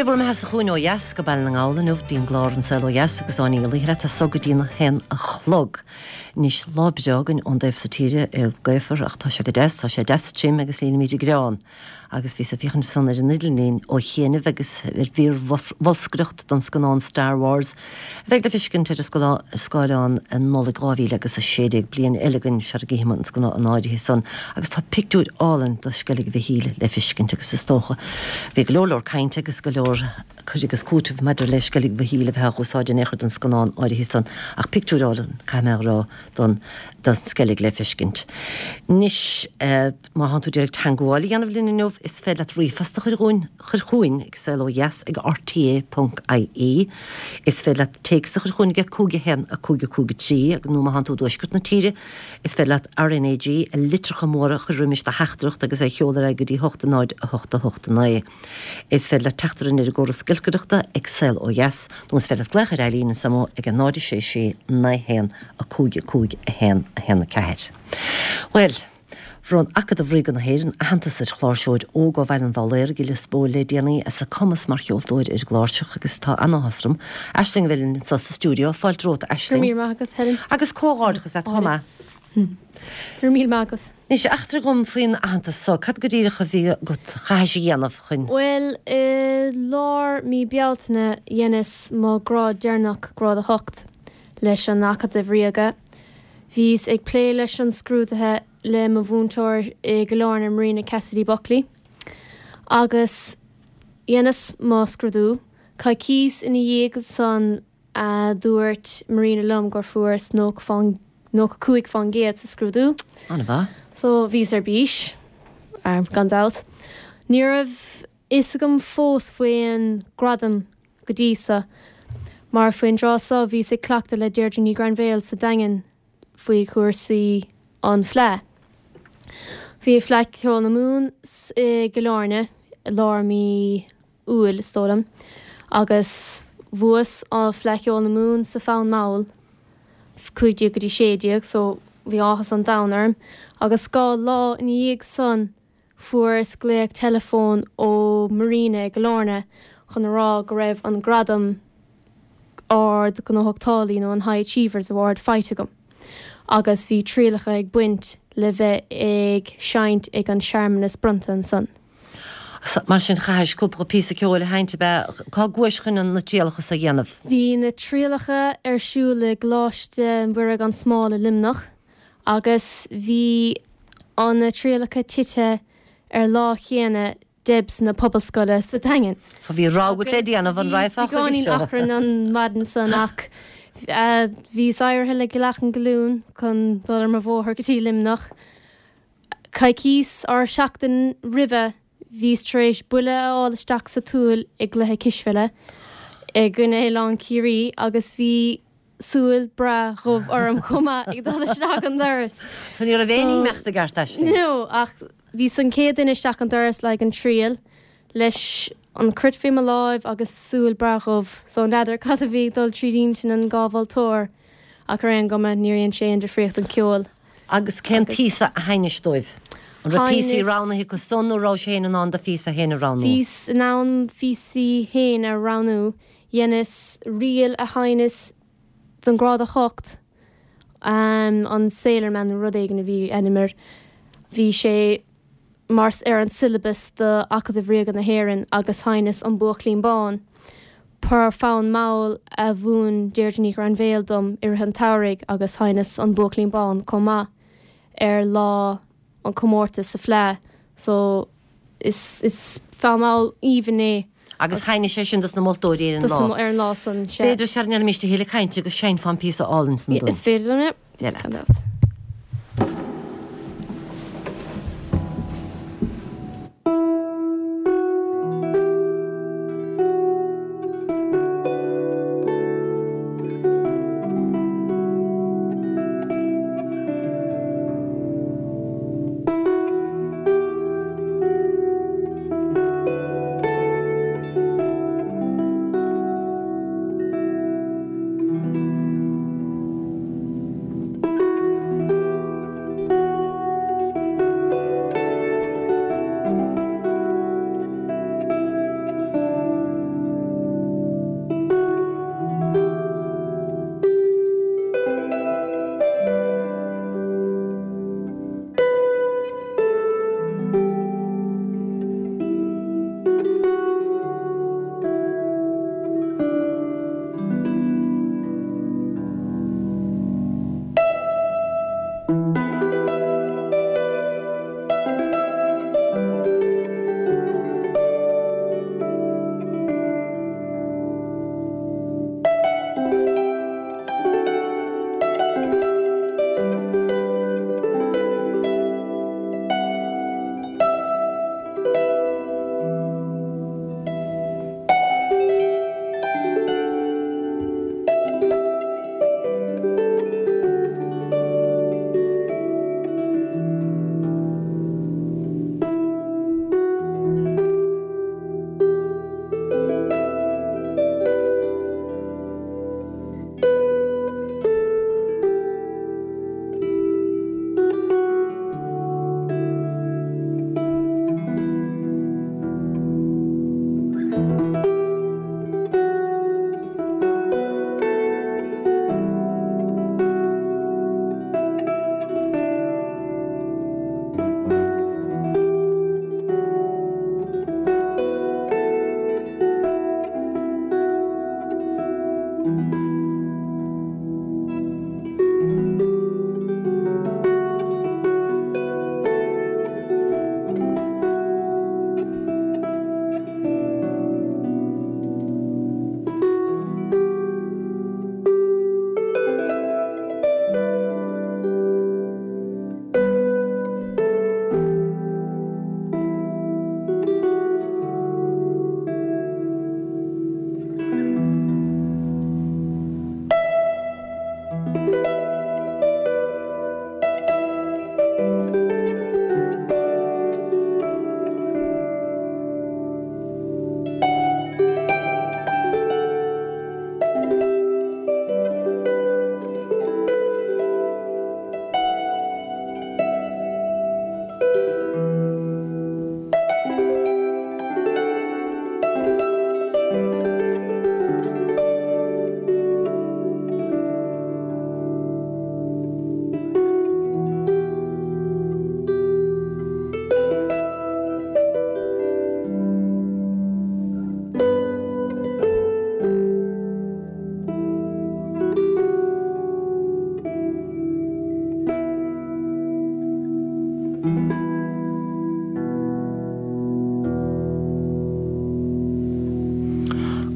Sé bhur mbeatha-sa chugainn ó dheas go Baile na nGall inniu dtí'n gclár An Saol Ó Dheas agus Áine Ní Laoithe leat as so go dtí'n haon a chlog. Anois lá breá againn ón dtaobh so tíre, é gaofar ach tá sé go deas, tá sé deas tirim agus líonfaimid an greán. Agus bhíos ag féachaint ansan ar an idirlíon ó chianaibh agus ar mhír bholscaireacht don scannán Star Wars a bheidh le feiscint ar an scáileán i Nollaig 2000 agus 16, bliain eile againn sara gcífidh muid an scannán áirithe san agus tá pictiúir álainn de Sceilg Mhichíl le feiscint agus is dócha bhí go leor leor cainte agus go leor cur agus cúiteamh maidir le Sceilg Mhichíl a bheith á úsáid in aon chor don scannán áirithe san ach pictiúir álainn caithfidh mé a rá don don Sceilg le feiscint. Anois. Má thánn tú ag iarraidh teangmháil a dhéanamh linn inniu, is féidir leat ríomhphost a chur chugainn, chur chugainn ag saolodheas ag rte ponc ie. Is féidir leat téacs a chur chugainn ag 5 1 5 5 3 agus nó má thánn tú i dtuaisceart na tíre, is féidir leat RnaG i litreacha móra a chur roimis do theachtaireacht agus é a sheoladh ar aghaidh go dtí 8 0 8 8 9. Is féidir leat teacht orainn ar an gcóras giolcaireachta ag Saol Ó Dheas nó is féidir leat glaoch ar Eileen anso ag 0 6 6 9 1 5 5 1 1 4. Bhuel, Bhronn Acadamh Ríoga na hÉireann aitheantas ar chláirseoir óg ó Bhaile an Bhaglaoraigh i Lios Póil le déanaí as a cumas mar cheoltóir ar an gcláirseach agus tá an-áthas orm Aisling a bheith linn anseo sa stiúideo. Fáilte romhat, a Aisling. Go raibh míle maith agat, Helen. Agus comhghairdeachas leat chomh maith. Go raibh míle maith agat. Anois, eachtraigh dhom faoin aitheantas so. Cad go díreach a bhí agat, chaithis a dhéanamh chun. Bhuel, i lár mí Bealtaine dheineas mo grád deireanach, grád 8, leis an Acadamh Ríoga. Bhíos ag plé leis an scrúduithe le mo mhúinteoir i gCill Airne, Marina Cassidy Buckley, agus dheineas mo scrúdú. Coicíos ina dhiaidh san a dúirt Marina liom gur fuaireas 95% sa scrúdú. An-mhaith. So bhíos ar bís, gan dabht. Ní raibh fhios agam fós faoin gradam go dtí so, mar faoin dtráth so bhíos ag cleachtadh le Deirdre Ní Ghrainbhéil sa Daingean faoi chúrsaí an Fleadh. Bhí Fleadh Cheoil na Mumhan i gCill Airne i lár mí Iúil, is dóigh liom, agus bhuas Fleadh Cheoil na Mumhan sa Fonn Mall, 15 go dtí 16, so bhí áthas an domhain orm. Agus 2 lá ina dhiaidh san, Fuaireas glaoch teileafóin ó Marina i gCill Airne chun a rá go raibh an gradam Ard-Ghnóthachtálaí nó an High Achievers Award faighte agam agus bhí trialacha ag baint le bheith ag seinnt ag an searmanas bronnta ansan. Mar sin chaithis cúpla píosa ceoil a sheinnt ab ea? Cá gcuais chun na trialacha so a dhéanamh? Bhí na trialacha ar siúl i gColáiste Mhuire gan Smál i Luimneach. Agus bhí an na trialacha tite ar lá chéanna Debs na Pobalscoile sa Daingean. So bhí rogha agat le déanamh, an raghfá chuige seo? Bhí beagáinín achrainn an mhaidin san ach bhíos éirithe le leath an ghlúin chun dul ar mo bhóthar go dtí Luimneach. Coicíos or seachtain roimhe bhíos tar éis buille a fháil isteach sa tsúil i gcluiche cispheile i gcoinne Oileán Ciarraí agus bhí súil breá dhubh orm chomh maith ag dul isteach an doras. So ní raibh aon imeacht i gceart Aisling? No, ach bhíos an chéad duine isteach an doras le haghaidh an triail leis an cruit faoi mo láimh agus súil breá dhubh. So n'fheadar cad a bhí ag dul tríd intinn an dhá mholtóir ach ar aon gcuma níor dhein sé aon difríocht don cheol. Agus cén píosa a sheinnis dóibh? An raibh píosaí roghnaithe acu san nó rabhais féin in ann do phíosa féin a roghnú? Bhíos in ann phíosaí féin a roghnú. Dheineas ríl a sheinneas don grád 8, an Sailor Man nó rud éigin a bhí ainm air. Bhí sé mar ar an syllabus do Acadamh Ríoga na hÉireann agus sheinneas An Buachaillín Bán par fonn mall a mhúin Deirdre Ní Ghrainbhéil dom i rith an tsamhraidh agus sheinneas An Buachaillín Bán chomh maith ar lá an comórtas sa Fleadh so is is fonn mall aoibhinn é. Agus sheinnis é sin dos na moltóirí ar an lá. Ar an lá san, sea. B'fhéidir sara ndéanfaimis a thuilleadh cainte go seinnfeá an píosa álainn san dúinn. Is féidir liom é. Dé leat. Gan dabht.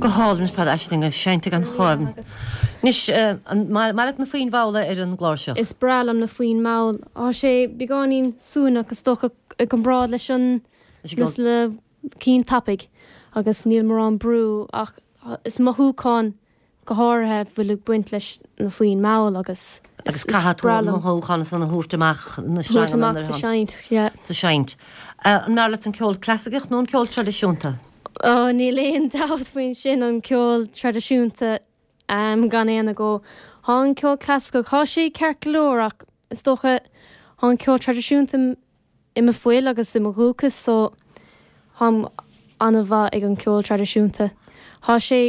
Go hálainn ar fad Aisling, seinnte gan choim. Anois, an maith leat na foinn mhalla ar an gcláirseach? Is breá liom na foinn mhall. Tá sé beagáinín suaimhneach is dócha i gcomparáid leis an le cinn tapaidh agus níl mórán brú ach is mothúchán go háirithe a bhfuil ag baint leis na foinn mhall agus is breá liom. Agus caithfidh tú an mothúchán san a thabhairt amach na thabhairt amach sa seinnt, yeah. Sa seinnt. An mb'fhearr leat an ceol clasaiceach nó an ceol traidisiúnta? Ó, níl aon dabht faoin sin, an ceol traidisiúnta gan aon agó. Tá an ceol clasaiceach, tá sé ceart go leor ach is dócha tá an ceol traidisiúnta i mo fuil agus i mo dhúchas so táim an-mhaith ag an ceol traidisiúnta. Tá sé,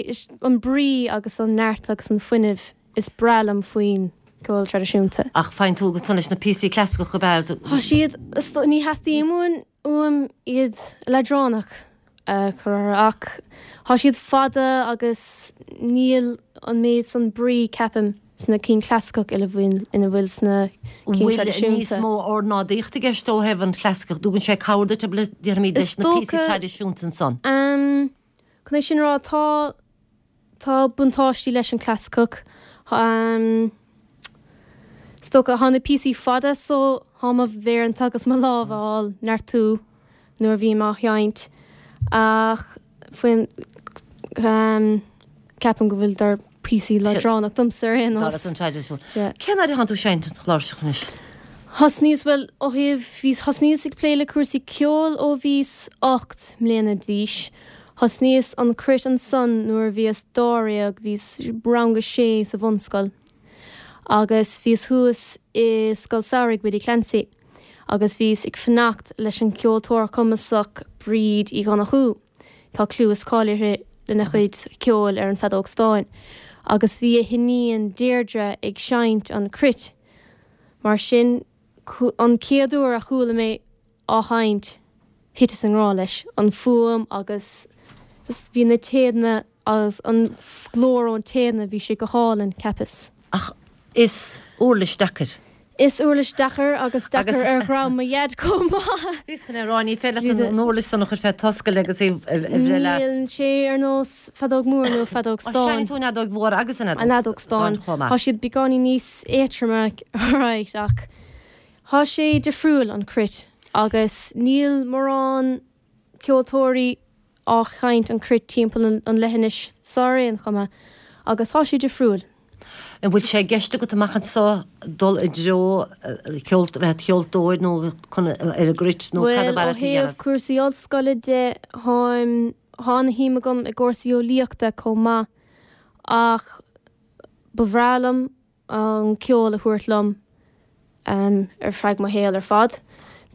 an brí agus an neart agus an fuinneamh is breá liom faoin gceol traidisiúnta. Ach faigheann tú ansan leis na píosaí clasaiceacha ab ea? Tá siad, ní theastaíonn uaim iad leadránach a chur orthu ach tá siad fada agus níl an méid san brí, ceapaim, sna cinn chlasaiceach ina bhfuil ina bhfuil sna cinn Bhfuil níos traidisiúnta. mó ornáidíochta i gceist ó thaobh an chlasaiceach? Dtugann sé cabhair duit, déarfaimid, Is leis na píosaí dócha, traidisiúnta ansan? ehm, chun é sin a rá, tá, tá buntáistí leis an chlasaiceach. Ehm, is dócha, tá na píosaí fada so tá mo mhéireanta agus mo lámha á neartú. nuair a bhím á sheinnt ach faoin ceapaim go bhfuileadar píosaí leadránach domsa ar aon nós. Cén fhad atánn tú ag seinnt an chláirseach anois? Thosnaíos, bhuel, ó thaobh, bhí, thosnaíos ag plé le cúrsaí ceoil ó bhíos 8 mbliana d'aois. Thosnaíos an cruit ansan nuair a bhíos dáréag, bhíos rang a sé sa bhunscoil agus bhíos thuas i Scoil Samhraidh Willie Clancy. agus bhíos ag fanacht leis an gceoltóir cumasach Bríd Uí Dhonnchú, tá clú is cáil uirthi lena cuid ceoil ar an bhfeadóg stáin, agus bhí a hiníon Deirdre ag seinnt an chruit. Mar sin, an chéad uair a chuala mé á sheinnt, thiteas i ngrá leis, an fuaim agus just bhí na téadanna agus an glór ón téadanna, bhí sé go hálainn, cheapas. Ach is uirlis deacair. Is uirlis deacair agus deacair ar dhream mo dhaid chomh maith. Bhíos chun é a rá, ní féidir leat an uirlis san a chur fé t'oscail agus í a bhreith leat. Níl sé ar nós feadóg mór nó feadóg stáin. Seinneann tú an fheadóg mhór agus an fheadóg stáin chomh maith. Tá siad beagáinín níos éadtroime, alright, ach tá sé difriúil, an cruit, agus níl mórán ceoltóirí á sheinnt an cruit timpeall an leithinis so ar aon chuma agus tá sé difriúil. An bhfuil sé i gceist agat amach anseo dul i dtreo ceol, bheith id cheoltóir nó chun ar an gcruit nó cad ab fhearr leat a dhéanamh? Bhuel, ó thaobh cúrsaí ollscoile de, táim, tá ana-shuim agam i gcúrsaí eolaíochta chomh maith ach ba bhreá liom an ceol a thabhairt liom ar feadh mo shaol ar fad.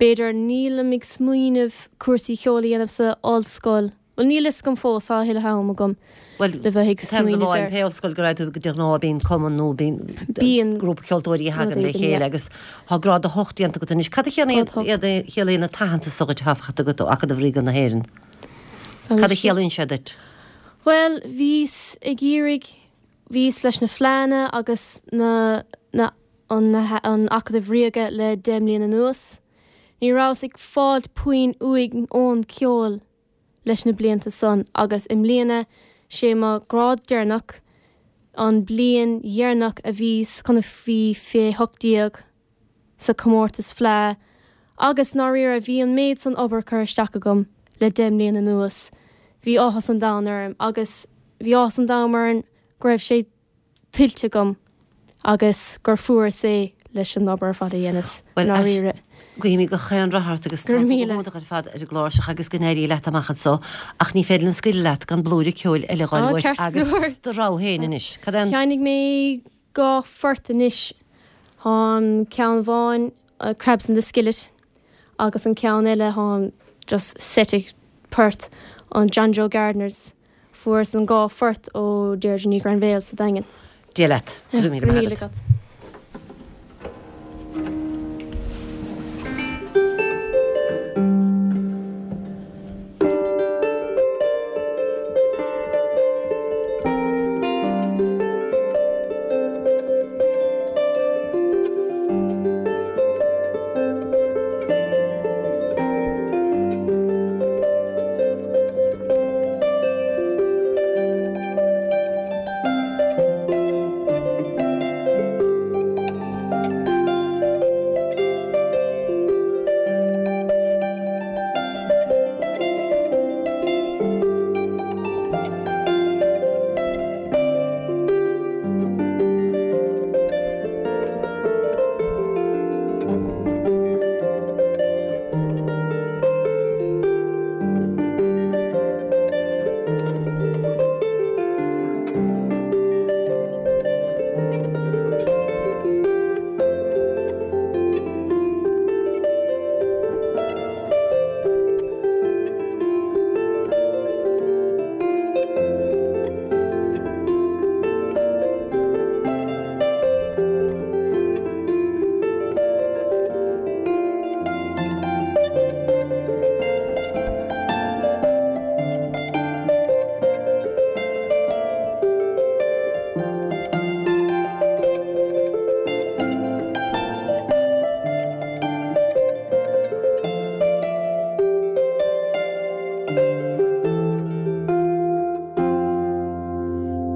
B'fhéidir, nílim ag smaoineamh cúrsaí ceoil a dhéanamh sa ollscoil, bhuel níl fhios agam fós, tá a thuilleadh am agam le bheith ag smaoineamh air. Pé ollscoil go raibh tú de ghnáth bíonn cumann nó bíonn grúpa ceoltóirí a thagann le chéile agus tá grád 8 déanta agat anois. Cad a chiallaíonn an t-aitheantas so dhuit atá faighte agat ó Acadamh Ríoga na hÉireann? Cad a chiallaíonn sé duit? Bhuel, bhíos ag iarraidh Bhíos leis na Fleánna agus na na an an Acadamh Ríoga le 10 mbliana anuas. Ní rabhas ag fáilt puinn uaidh ón ceol leis na blianta san agus i mbliana sé mo grád deireanach, an bliain dheireanach a bhíos chun a bhí fé 18 sa comórtas Fleá agus ndáiríre bhí an méid san obair curtha isteach agam le 10 mbliana anuas. Bhí áthas an domhain orm agus bhí áthas an domhain orm go raibh sé tuillte agam agus gur fuaireas é leis an obair ar fad a dheineas, ndáiríre. Guímid gach aon rath ort agus tá tú go hiontach ar fad ar an gcláirseach agus go n-éirí leat amach anso ach ní féidir linn scaoileadh leat gan blúire ceoil eile a fháil uait agus do rogha féin anois. Cad é an. Cheannaigh mé 2 phort anois. Tá an ceann amháin Crabs in the Skillet agus an ceann eile tá just set port an John Joe Gardiners. Fuaireas an 2 phort ó Deirdre Ní Ghrainbhéil sa Daingean. Dia leat. Go raibh míle maith agat.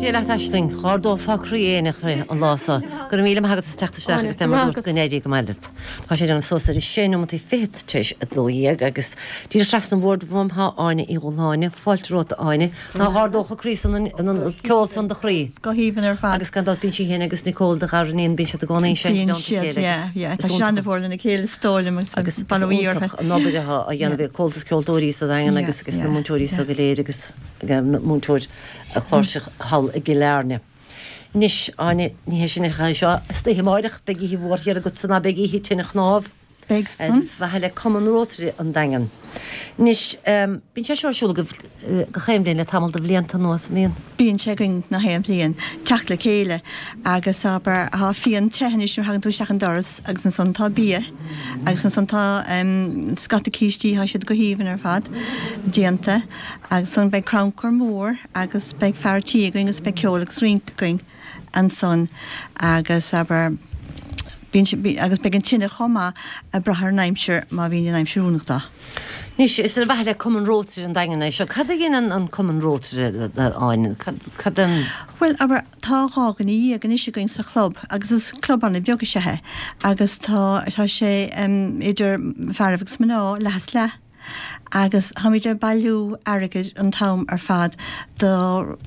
Dia leat Aisling, dh'ardófá croí éinne an lá so. Go raibh míle maith agat as teacht isteach agus é mar dúirt go n-éirí go maith leat. Tá sé ag déanamh suas ar a sé nóimeataí fichead tar éis a 12 agus díreach trasna an bhoird uaim tá Áine Uí Dhúshláine. Fáilte romhat a Áine. Ná dh'ardódh an croí san an ceol san do chroí. Go haoibhinn ar fad. Agus gan dabht bíonn sí féin agus Nicole do ghariníon, bíonn siad i gcónaí ag seinnt i dteannta a chéile agus yeah, yeah. Tá siad an-mhór lena chéile is dóigh liom agus is iontach an obair atá á dhéanamh ag Comhaltas Ceoltóirí sa Daingean agus agus na múinteoirí so go léir agus múinteoir cláirseach thall i gCill Airne. Anois, Áine, ní hé sin é seo, istoíche amáireach beidh oíche mhór thiar agatsa ná beidh oíche tine chnámh. Beidh san. Ar mhaithe le Cumann Rotary an Daingean. Anois, bíonn sé seo ar siúl agaibh gach aon bhliain le tamall de bhlianta anuas, an mbíonn? Bíonn sé againn gach aon bhliain, teacht le chéile agus abair, tá fíon te anois nuair a thagann tú isteach an doras agus ansan tá bia agus ansan tá scata cístí, tá siad go haoibhinn ar fad déanta agus ansan beidh crannchur mór agus beidh fear tí againn agus beidh ceol agus rince againn. ansan agus abair. Bíonn sé, agus beidh an tine chomh maith ag brath ar an aimsir, má bhíonn an aimsir oiriúnach dó. Anois, is ar mhaithe le Cumann Rótaire an Daingin é seo. Cad a dhéanann an Cumann Rótaire, a Áine? Cad, cad an. Bhuel, abair, tá 12 dhuine anois againn sa chlub agus is club an-bheag is ea é agus tá, tá sé idir fearaibh agus mná, leath is leath. Agus táimid ag bailiú airgid an t-am ar fad do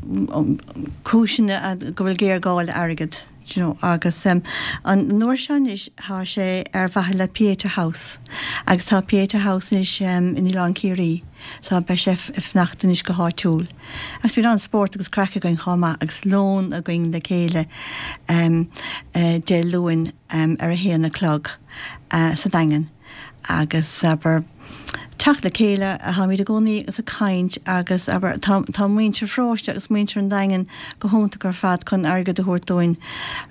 cúiseanna go bhfuil géarghá le airgead, do you know. Agus an uair seo anois tá sé ar mhaithe le Pieta House agus tá Pieta House anois in Oileán Ciarraí so beidh sé ag fanacht anois go háitiúil. Agus bíonn an-spórt agus craic againn chomh maith agus lón againn le chéile Dé Luain ar a haon a chlog sa Daingean. agus, abair, teacht le chéile, táimid i gcónaí agus ag caint agus, abair, tá, tá muintir an pharóiste agus muintir an Daingin go hiontach ar fad chun airgead a thabhairt dúinn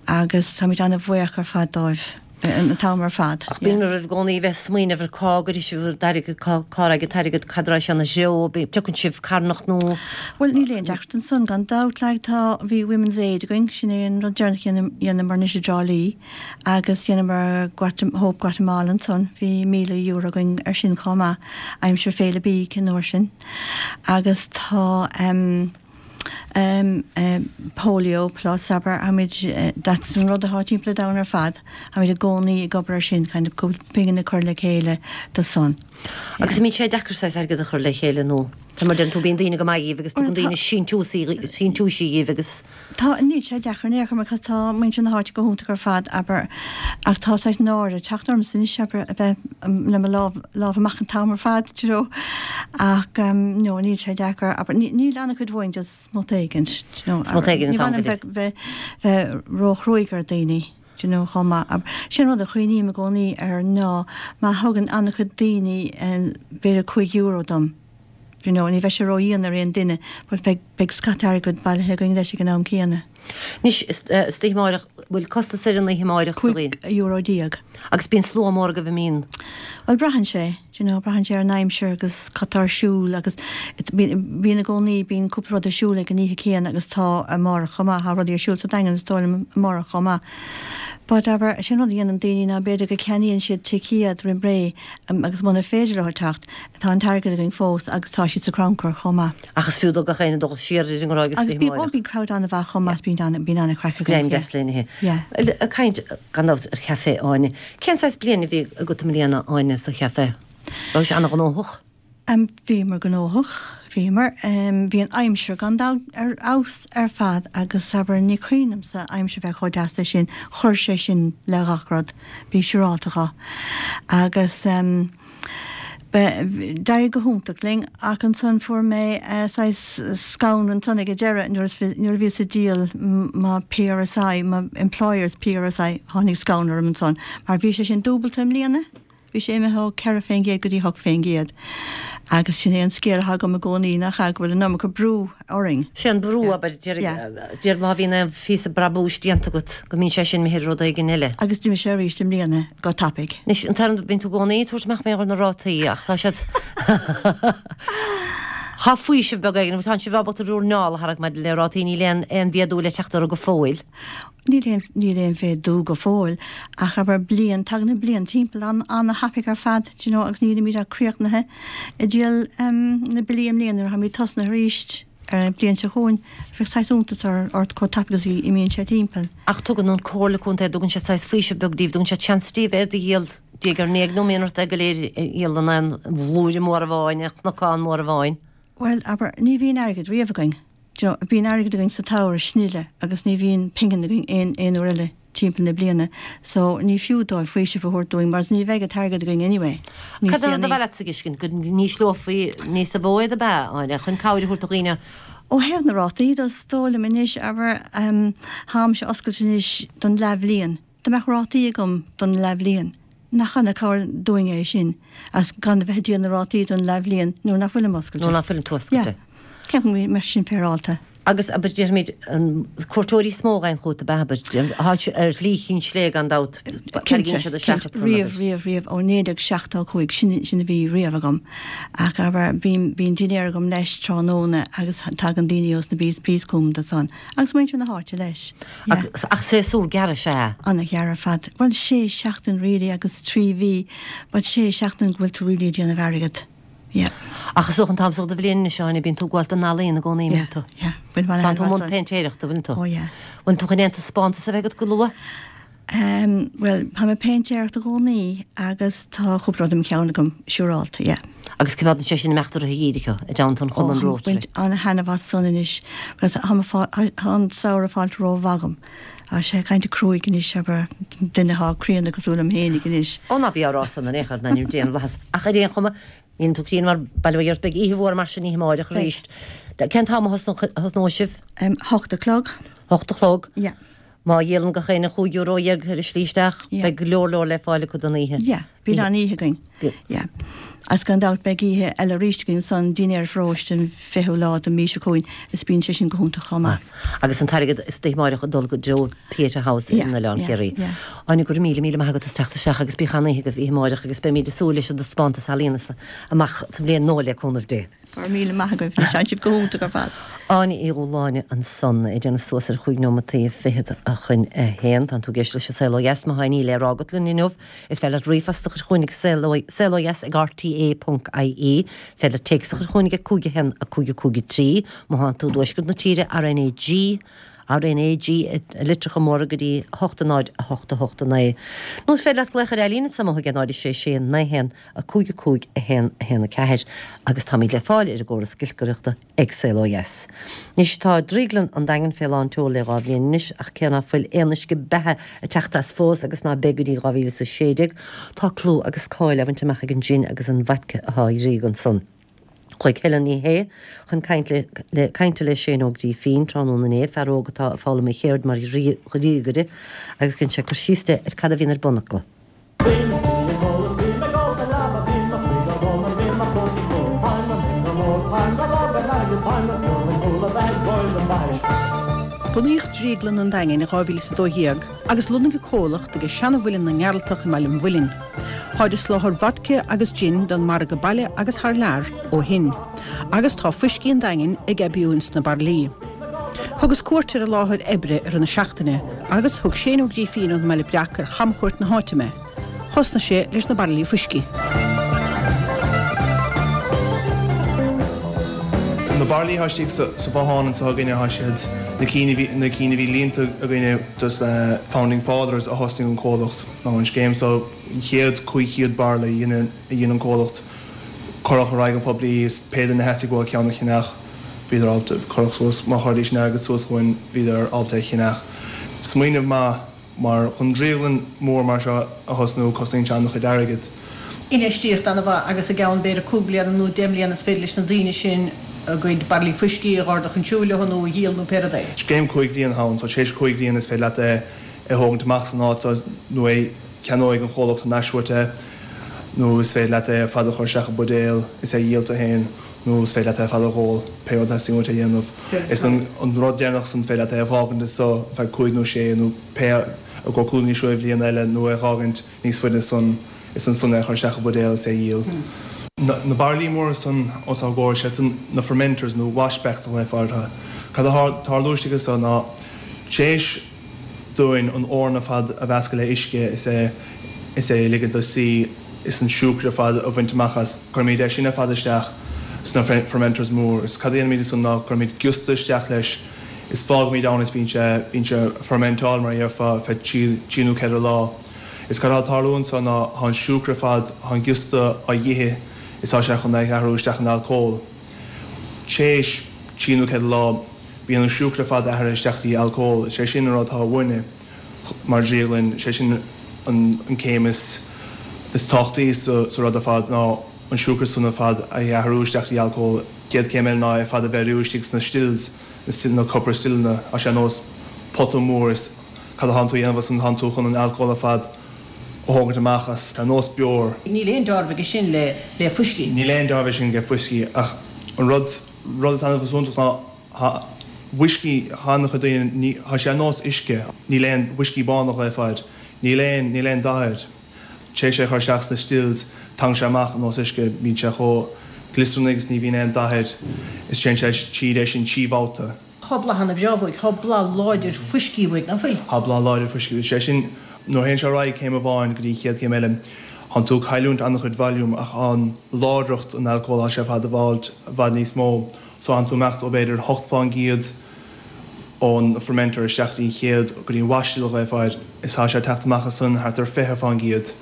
agus táimid an-bhuíoch ar fad dóibh an t-am ar fad. Ach bíonn oraibh i gcónaí bheith ag smaoineamh ar cá gcuirfidh sibh bhur n-airgead, cá, cá raghaidh an t-airgead, cad raghaidh sé ina threo, piocann sibh carthanacht nó. Bhuel, níl aon deacracht ansan gan dabht, like, tá, bhí Women's Aid againn, sin é an rud deireanach a dhéanamar anois i dTrá Lí. Agus dheineamar Hope Guatemala ansan, bhí €1,000 againn ar sin chomh maith, aimsir Féile Bídh an uair sin. Agus tá Polio Plus, abair, táimid, that's an rud atá timpeall an domhain ar fad, táimid i gcónaí ag obair ar sin, kind of cúpla pingin a chur le chéile do san. Agus an mbíonn sé deacair saghas airgead a chur le chéile nó, mar deireann tú, bíonn daoine go maith dhíbh agus tugann daoine síntiúisí dhíbh agus. Tá, níl sé deacair in aon chor mar tá muintir na háite go hiontach ar fad, abair, ach tá saghas náire ag teacht ormsa anois, abair, a bheith le mo lámh, lámh amach an t-am ar fad, do you know. Ach no, níl sé deacair, abair, níl an-chuid uainn just smut éigint, do you know. Smut éigint an t-am go léir. Ní mhaith liom bheith, bheith ró-chruaidh ar daoine, do you know, chomh maith. Abair, sin rud a chuimhním i gcónaí air ná má thugann an-chuid daoine b'fhéidir €5 dom, You know, ní bheidh sé ró-dhian ar aon duine but beidh, beidh scata airgid bailithe againn leis ag an am céanna. Anois, istoíche amáireach, bhfuil costas ar an oíche amáireach do dhaoine? €15. Agus bíonn slua mór agaibh an mbíonn? Bhuel, braitheann sé, do you know, braitheann sé ar an aimsir agus cad tá ar siúl agus bíonn, bíonn i gcónaí, bíonn cúpla rud ar siúl ag an oíche céanna agus tá amárach chomh maith, tá rudaí ar siúl sa Daingean is dóigh liom amárach chomh maith. But abair, sin rud a dhéanann daoine ná b'fhéidir go ceannaíonn siad ticéad roimh ré agus muna féidir leo teacht, Tá an t-airgead againn fós agus tá siad sa chrannchur chomh maith. Ach is fiú do gach éinne dul siar ar an nGráig istoíche amáireach. Agus bíonn crowd an-mhaith chomh maith, bíonn bíonn an-chraic againn. Greim deas lena ithe. Yeah. Ag caint gan dabht ar chaifé Áine. Cén saghas bliain a bhí agat i mbliana Áine sa chaifé? Raibh sé an-ghnóthach? Bhíomar gnóthach, bhíomar. Bhí an aimsir gan dabht ar fheabhas ar fad agus abair ní cuimhin liomsa aimsir bheith chomh deas leis sin, chuir sé sin le gach rud, bí siúrálta dho. Agus. D'éirigh go hiontach linn ach ansan fuair mé saghas scanradh ansan ag an deireadh nuair nuair a bhíos ag díol mo PRSI, mo employer's PRSI, tháinig scanradh orm ansan mar bhí sé sin dúbalta i mbliana, bhí sé imithe ó 4% go dtí 8% agus sin é an scéal atá agam i gcónaí nach ea go bhfuil an iomarca brú orainn. Sé an brú, abair, deir má bhíonn aon phíosa brabúis déanta agat go mbíonn sé sin imithe ar rud éigin eile. Agus d'imigh sé arís i mbliana go tapaidh. Anois, an t-aon rud, bíonn tú i gcónaí ag tabhairt amach mar gheall ar na rátaí ach tá siad Tá faoiseamh beag éigin, tá sibh ábalta bhur muineál a tharrac maidir le rátaí, níl aon aon mhéadú le teacht orthu go fóill. Níl aon níl aon mhéadú go fóill ach abair bliain, tagann an bliain timpeall an an-thapaidh ar fad, do you know, agus nílimid ach críochnaithe ag díol na billí i mbliana nuair a tháimid tosnaithe arís ar an bliain seo chugainn, bheadh saghas iontas ort chomh tapaidh agus a imíonn sé timpeall. Ach tugann an Comhairle Contae, dtugann siad saghas faoiseamh beag daoibh, dtugann siad seans daoibh iad a dhíol diaidh ar ndiaidh nó mbíonn ort é go léir a dhíol in aon bhlúire mór amháin, aon chnocán mór amháin? Bhuel, abair, ní bhíonn airgead riamh againn. Do you know, bíonn airgead againn sa tsamhradh snile agus ní bhíonn pingin againn aon aon uair eile timpeall na bliana so ní fiú dóibh faoiseamh a thabhairt dúinn mar ní bheidh an t-airgead againn anyway níos Cad é an rud a déanaí. ba mhaith leatsa a fheiscint, go n-ísleofaí níosa mhó iad ab ea, Áine, chun cabhair a thabhairt do dhaoine? Ó thaobh na rátaí de, is dóigh liom anois, abair, tháimse oscailte anois don leathbhliain. Dá mbeadh rátaí agam don leathbhliain, nach ana-cabhair dúinn é sin, as gan a bheith ag díol na rátaí don leathbhliain nuair nach bhfuilim oscailte. Nuair nach bhfuileann tú oscailte. Yeah. Ceapaim go mbeadh sin féaráilte. Agus, abair, déarfaimid, an cuairteoirí is mó a ghabhann chugat ab ea, abair, tá sé ar Shlí Chinn Sléibhe gan dabht, tarraingíonn siad isteach ansan, abair. Riamh, riamh, riamh, ó 1975, sin, sin a bhí riamh agam. Ach, abair, bíonn, bíonn dinnéar agam leis tráthnóna agus tagann daoine ós na Bs chugam do san. Agus muintir na háite leis. Yeah. Ach séasúr gearr is ea? Ana-ghearr ar fad. Bhuel, sé seachtain really agus 3 mhí, but sé seachtain go bhfuil tú really ag déanamh airgead. Yeah. Ach is dócha an t-am so de bhliain anois, Áine, bíonn tú ag gabháil don ealaíon i gcónaí, mbíonn tú? Yeah, yeah. Bíonn tú i mbun péintéireachta, bhfuil tú? Oh yeah. Bhfuil tú chun aon taispeántas a bheith agat go luath? Um, bhuel, tá mé ag péintéireacht i gcónaí agus tá cúpla rud i mo cheann agam, siúrálta, yeah. Agus coimeádann sé sin imeacht i rith an gheimhridh i dteannta an Chumann oh, Rotary. Baint ana-thaitneamh as san anois, because tá an samhradh fáilte rómhaith agam. Tá sé kind of cruaidh anois, abair, duine atá críonna cosúil liom fhéinig anois. Ó ná bí á rá san in aon chor, in ainm Dé na bhFlaitheas. Ach ar aon chuma, níl tú críonna mar bail ó Dhia ort, beidh oíche mhór mar sin oíche amáireach arís. Cén t-am a thosnóidh sibh? 8 a chlog. 8 a chlog? Yeah. Má dhíolann gach éinne chúig euro dhéag ar an slí isteach, beidh go leor leor le fáil acu don oíche. Yeah. Bíonn an-oíche againn. Yeah. Agus gan dabht beidh oíche eile arís againn ansan, dinnéar pharóiste an 20ú lá den mí seo chugainn is bíonn sé sin go hiontach chomh maith. Agus an t-airgead istoíche amáireach ag dul go dtreo Pieta House in Oileán Chiarraí. Áine, go raibh míle, míle maith agat as teacht isteach agus bíodh an-oíche agaibh oíche amáireach agus beimid ag súil leis an dtaispeántas ealaíona amach sa bhliain nua le cúnamh Dé. Go raibh míle maith agaibh, tá sibh go hiontach ar fad. Áine Uí Dhúshláine ansan, ag déanamh suas ar chúig neomataí fichead chun a haon. Tánn tú ag éisteacht leis an Saol Ó Dheas, má tá aon ní le rá agat linn inniu, is féidir leat ríomhphost a chur chugainn ag saolodheas ag rte.ie. Is féidir leat téacs a chur chugainn ag 5 1 5 5 3. Má thánn tú i dtuaisceart na tíre, RnaG, RnaG i litreacha móra go dtí 8 0 8 8 9. Nó is féidir leat glaoch ar Eileen anso amuigh ag 0 6 6 9 1 5 5 1 1 4 agus táimid le fáil ar an gcóras giolcaireachta ag Saol Ó Dheas. Anois tá Drioglann an Daingin fé lán tseoil le 2 bhliain anois ach cé ná fuil aon uisce beatha ag teacht as fós agus ná beidh go dtí 2016, tá clú agus cáil á bhaint amach ag an jin agus an vodka atá á dhríogadh ansan. Chuaigh Helen Ní Shé chun cainte cainte le Shane Óg Grífín tráthnóna inné, fear óg atá ag foghlaim a cheird mar dhríogaire agus dhein sé cur síos di ar cad a bhíonn ar bun acu. Bunaíodh Drioglann an Daingin in 2012 agus lonnaithe an comhlacht ag seana-mhuileann na nGearaltach i mBaile an Mhuilinn. Táid ag soláthar vodka agus gin don margadh baile agus thar lear ó shin. Agus tá fuiscí an Daingin ag aibiú ins na bairillí. Thugas cuairt ar an láthair oibre i rith na seachtaine agus thug Shane Ó Grífín ón mBaile Breac ar chamchuairt na háite mé. Thosnaigh sé leis na bairillí fuiscí. Na bairillí atá istigh sa bhothán anseo againne, tá siad, na cinn a bhí, na cinn a bhí líonta againne dos na Founding Fathers a thosnaigh an comhlacht, nó an scéim so, an chéad 500 bairille a dhein, a dhein an comhlacht. Cuireadh ar aghaidh an phoiblí is pé duine a theastaigh uathu ceann a cheannach, bhíodar ábalta, cuireadh suas, má chuiridís an airgead suas chugainn, bhíodar ábalta é a cheannach. Smaoineamh maith mar chun drioglann mór mar seo a thosnú, cosnaíonn sé an-chuid airgid. Infheistíocht an-mhaith agus i gceann b'fhéidir cúig bliana nó deich mbliana is féidir leis na daoine sin a gcuid bairillí fuiscí a dh'ardú chun siúil leo nó a dhíol nó pé rud é. Scéim cúig bhliain atá ann, so tar éis cúig bhliain is féidir leat é a thógaint amach as an áit so nó é ceannóidh an chomhlacht thar n-ais uait é nó is féidir leat é ar fad a chur isteach i mbuidéal is é a dhíol tú féin nó is féidir leat é ar fad a dh'ól, pé rud a theastaíonn uait a dhéanamh. Is an rud deireanach san is féidir leat é a fhágaint anso ar feadh cúig nó sé nó pé i gcomhair cúig nó sé bhliain eile nó é a dh'fhágaint níos faide san is ansan é a chur isteach i mbuidéal is é a dhíol. Na bairillí móra san os ár gcomhair, siad san na fermenters nó washbacks a ghlaofá orthu. Cad atá ag tarlú istigh anso ná tar éis dúinn an eorna ar fad a mheascadh le uisce is é is é a ligint dó suí is an siúcra ar fad a bhaint amach as. Cuirimid é sin ar fad isteach sna fermenters mór is cad a dhéanaimid ansan ná cuirimid giosta isteach leis is fágaimid ann is bíonn sé bíonn sé ag fermentáil mar a dhéarfá ar feadh trí trí nó ceithre lá. Is cad atá ag tarlú anso ná tá an siúcra ar fad tá an giosta á dh'ithe is tá sé chun é a athrú isteach in alcól. Tréis trí nó ceithre lá Bíonn an siúcra ar fad athraithe isteach dtí alcól. Is é sin an rud atá uainne mar dhrioglann. Is é sin an céim is tábhachtaí sa rud ar fad ná an siúcra san ar fad a athrú isteach dtí alcól. Chéad céim eile ná é ar fad a bheiriú istigh sna stills, na copper stilleanna. Tá sé ar nós pota mór is cad atánn tú a dhéanamh ansan tánn tú chun an alcól ar fad a thógaint amach as, ar nós beoir. Níl aon deáramh aige sin le fuiscí. Níl aon deáramh aige sin le fuiscí ach an rud. rud is annamh is iontach ná tá uiscí, tá an-chuid daoine, ní, tá sé ar nós uisce, níl aon, uiscí bán a ghlaofá air, níl aon, níl aon dath air. Tar éis é a chur isteach sna stills, tagann sé amach ar nós uisce, bíonn sé chomh gliosarnach agus ní bhíonn aon dath air, is téann sé tríd é sin trí bhabhta. Tá blas ana-bhreá uaidh, tá blas láidir fuiscí uaidh, nach bhfuil? Tá blas láidir fuiscí uaidh. Sé sin, nuair a théann sé ar aghaidh céim amháin go dtí an chéad chéim eile, tánn tú ag cailliúint an-chuid volume ach an láidreacht an alcóil, tá sé ar fad i bhfad, i bhfad níos mó. So tánn tú ag imeacht ó b'fhéidir 8% ón fermenter isteach go dtí an chéad, go dtí an mash still a ghlaofá air, is tá sé ag teacht amach as san thart ar 20%.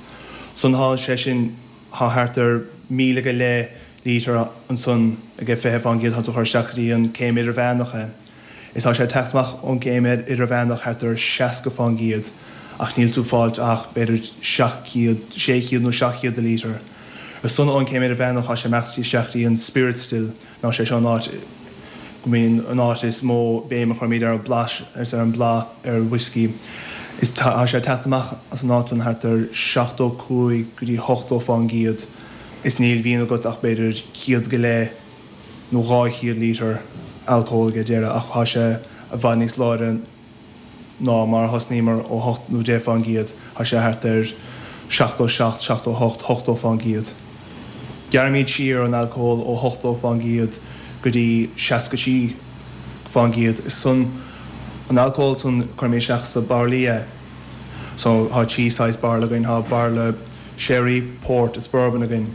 San tá sé sin, tá thart ar 1,000 go leith lítear ansan ag 20%, tá tú ag cur isteach go dtí an céim idirmheánach é. Is tá sé ag teacht amach ón gcéim idirmheánach thart ar 60% ach níl tú ag fáilt ach b'fhéidir 700, 600 nó 700 de lítear. Ansan ón céim idirmheánach tá sé ag imeacht isteach go dtí an spirit still, ná sé seo an áit go mbíonn an áit is mó béim a chuirimid ar an blas is ar an bhlath ar an whiskey. Is tá sé ag teacht amach as an áit san thart ar 75 go dtí 80% is níl bhíonn agat ach b'fhéidir 100 go leith nó 200 lítear alcóil ag deireadh ach tá sé i bhfad níos láidre ná mar a thosnaíomar ó 8 nó 10%, tá sé thart ar 77, 78, 80%. Gearraimid siar an alcól ó 80% go dtí 63%. Is san an alcól san cuirimid isteach sa bairillí é. So tá trí saghas bairille againn, tá bairille sherry, port is bourbon againn.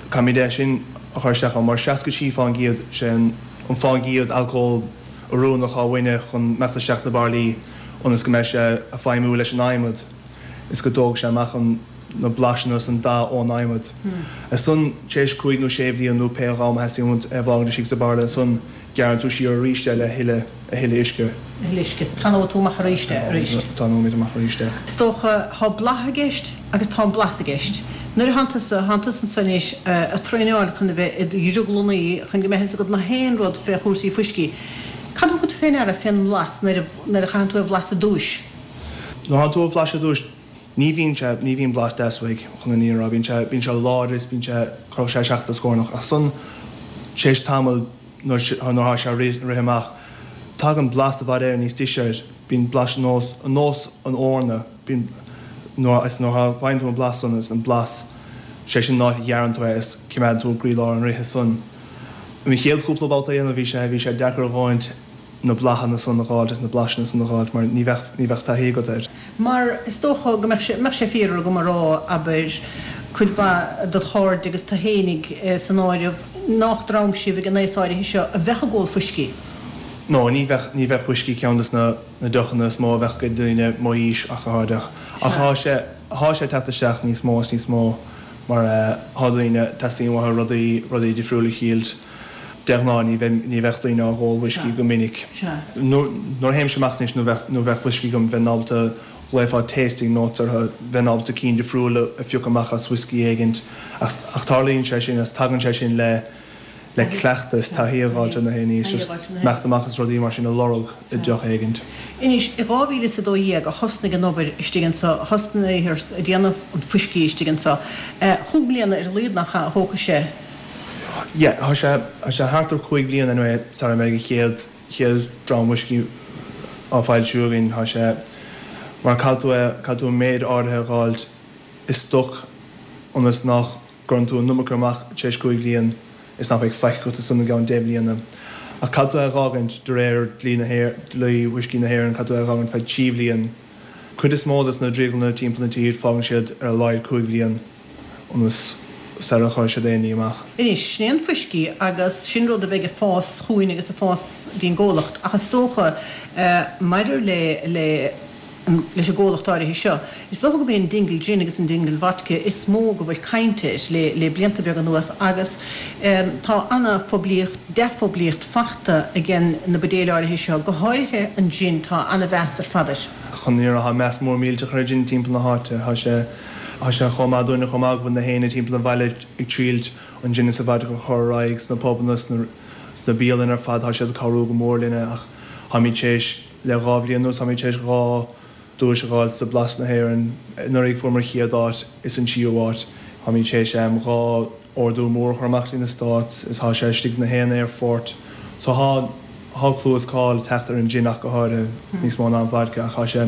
Caithfimid é sin a chur isteach ann mar 63% sé an fán gcéad alcól oiriúnach atá uainne chun imeacht isteach sna bairillí ionas go mbeidh sé ag feidhmiú leis an adhmad is go dtógfaidh sé amach an na blaiseanna is an dath ón adhmad. Ansan, tar éis cúig nó sé bhliain nó pé am a theastaíonn uait é a fhágaint istigh sa bhairille ansan gearrann tú siar arís é le thuilleadh a thuilleadh uisce. A thuilleadh uisce. Tanóidh tú amach arís é arís. Tanóimid amach arís é. Is dócha, tá blath i gceist agus tá an blas i gceist. Nuair a thánn tusa, thánn tusa anso anois a' traenáil chun a bheith i do dhrioglannaí chun go mbeidh fhios agat na haon rud fé chúrsaí fuiscí. Cad a thugann tú fé ndeara fén mblas nuair a, nuair a chaitheann tú é a bhlaiseadh ar dtúis? Nuair a thánn tú á bhlaiseadh ar dtúis, ní bhíonn sé, ní bhíonn blas deas uaidh, chun an fhírinne a rá. Bíonn sé, bíonn sé láidir is bíonn sé, cuirfeadh sé isteach i do scornach. Ach ansan, tar éis tamaill, nuair atá sé ag rith amach, tagann blas i bhfad Éireann níos deise air. Bíonn blas ar nós, ar nós an eorna. Bíonn, nuair, is nuair a faigheann tú an blas san, is an blas, sé sin an áit a ghearrann tú é is coimeádann tú i gcroílár an rithe san. An chéad chúpla babhta a dhéanamh bhí sé, bhí sé deacair a dhóthaint na bláthanna san a dh'fháilt is na blaiseanna san a dh'fháilt mar ní bheadh, ní bheadh taithí agat air. Mar is dócha go mbeadh sé, mbeadh sé fíor agam a rá, abair, cuid mhaith dod chairde agus tu fhéinig san áireamh, nách dream sibh ag an aos áirithe seo a bheadh ag ól fuiscí. No, ní bheadh, ní bheadh fuiscí ceann des na, na deochanna is mó a bheadh ag daoine mo aois ach go háirithe. Ach thá sé, thá sé ag teacht isteach níos mó is níos mó mar thá daoine, teastaíonn uathu rudaí, rudaí difriúla a thriailt. De ghnáth ní bheidh, ní bheadh daoine á dh'ól fuiscí go minic. Nuair a théimse amach anois nuair bheadh, nuair bheadh fuiscí agam bheinn ábalta, ghlaofá tasting notes orthu, bheinn ábalta cinn difriúla a phiocadh amach as whiskey éigint. Ach, ach tarlaíonn sé sin is tagann sé sin le, le cleachtadh is taithí a dh'fháilt ar na haon ní is just imeacht amach is rudaí mar sin a lorg i deoch éigint. Anois, i 2012 a thosnaigh an obair istigh anso, thosnaíthear ag déanamh an fuiscí istigh anso. Chúig mbliana ar a laghad nach ea a thógfaidh sé? Yeah, tá sé, tá sé thart ar chúig bhliain anyway sara mbeidh an chéad, chéad dram whiskey á foilsiú againn. Tá sé, mar caithfidh tú é, caithfidh tú an méid áirithe a dh'fháilt i stoc ionas nach gcuireann tú an iomarca amach tar éis cúig bhliain is nach mbeidh faic agat ansan i gceann deich mbliana. Ach caithfidh tú é a dh'fhágaint de réir dlí na hÉireann, dlí whiskey na hÉireann, caithfidh tú é a dh'fhágaint feadh trí bhliain. Cuid is mó des na drioglanna timpeall na tír fágann siad ar a laghad cúig bhliain ionas sara chuirfidh siad aon ní amach. Anois, sin é an fuiscí agus sin rud a bheidh ag fás chugainn agus ag fás dtí'n gcomhlacht ach is dócha maidir le le leis an gcomhlacht áirithe seo. Is dócha gurb é an Dingle Gin agus an Dingle Vodka is mó go bhfuil caint air le le blianta beaga anuas agus tá ana-phoiblíocht, dea-phoiblíocht fachta agen na buidéil áirithe seo, go háirithe an gin, tá ana-mheas ar fad air. Chun an fhírinne a rá, tá meas mór millteach ar an gin timpeall na háite. Tá sé, tá sé chomh maith dúinne chomh maith go bhfuil na héinne timpeall an bhaile ag triailt an gin is an vodka a chur ar aghaidh sna pubanna, sna, sna bialanna ar fad, tá siad ag cabhrú go mór linne ach táimid tar éis, Le 2 bhliain anuas táimid tar éis 2 duais a dh'fháilt sa Blas na hÉireann. Anuraidh fuaireamar chéad áit is an tríú háit. Táimid tar éis 2. ordú mór a chur amach dtí na Stáit is thá sé istigh sna haon aerfort so thá thá clú is cáil ag teacht ar an gin ach go háirithe, níos mó ná an vodka ach thá sé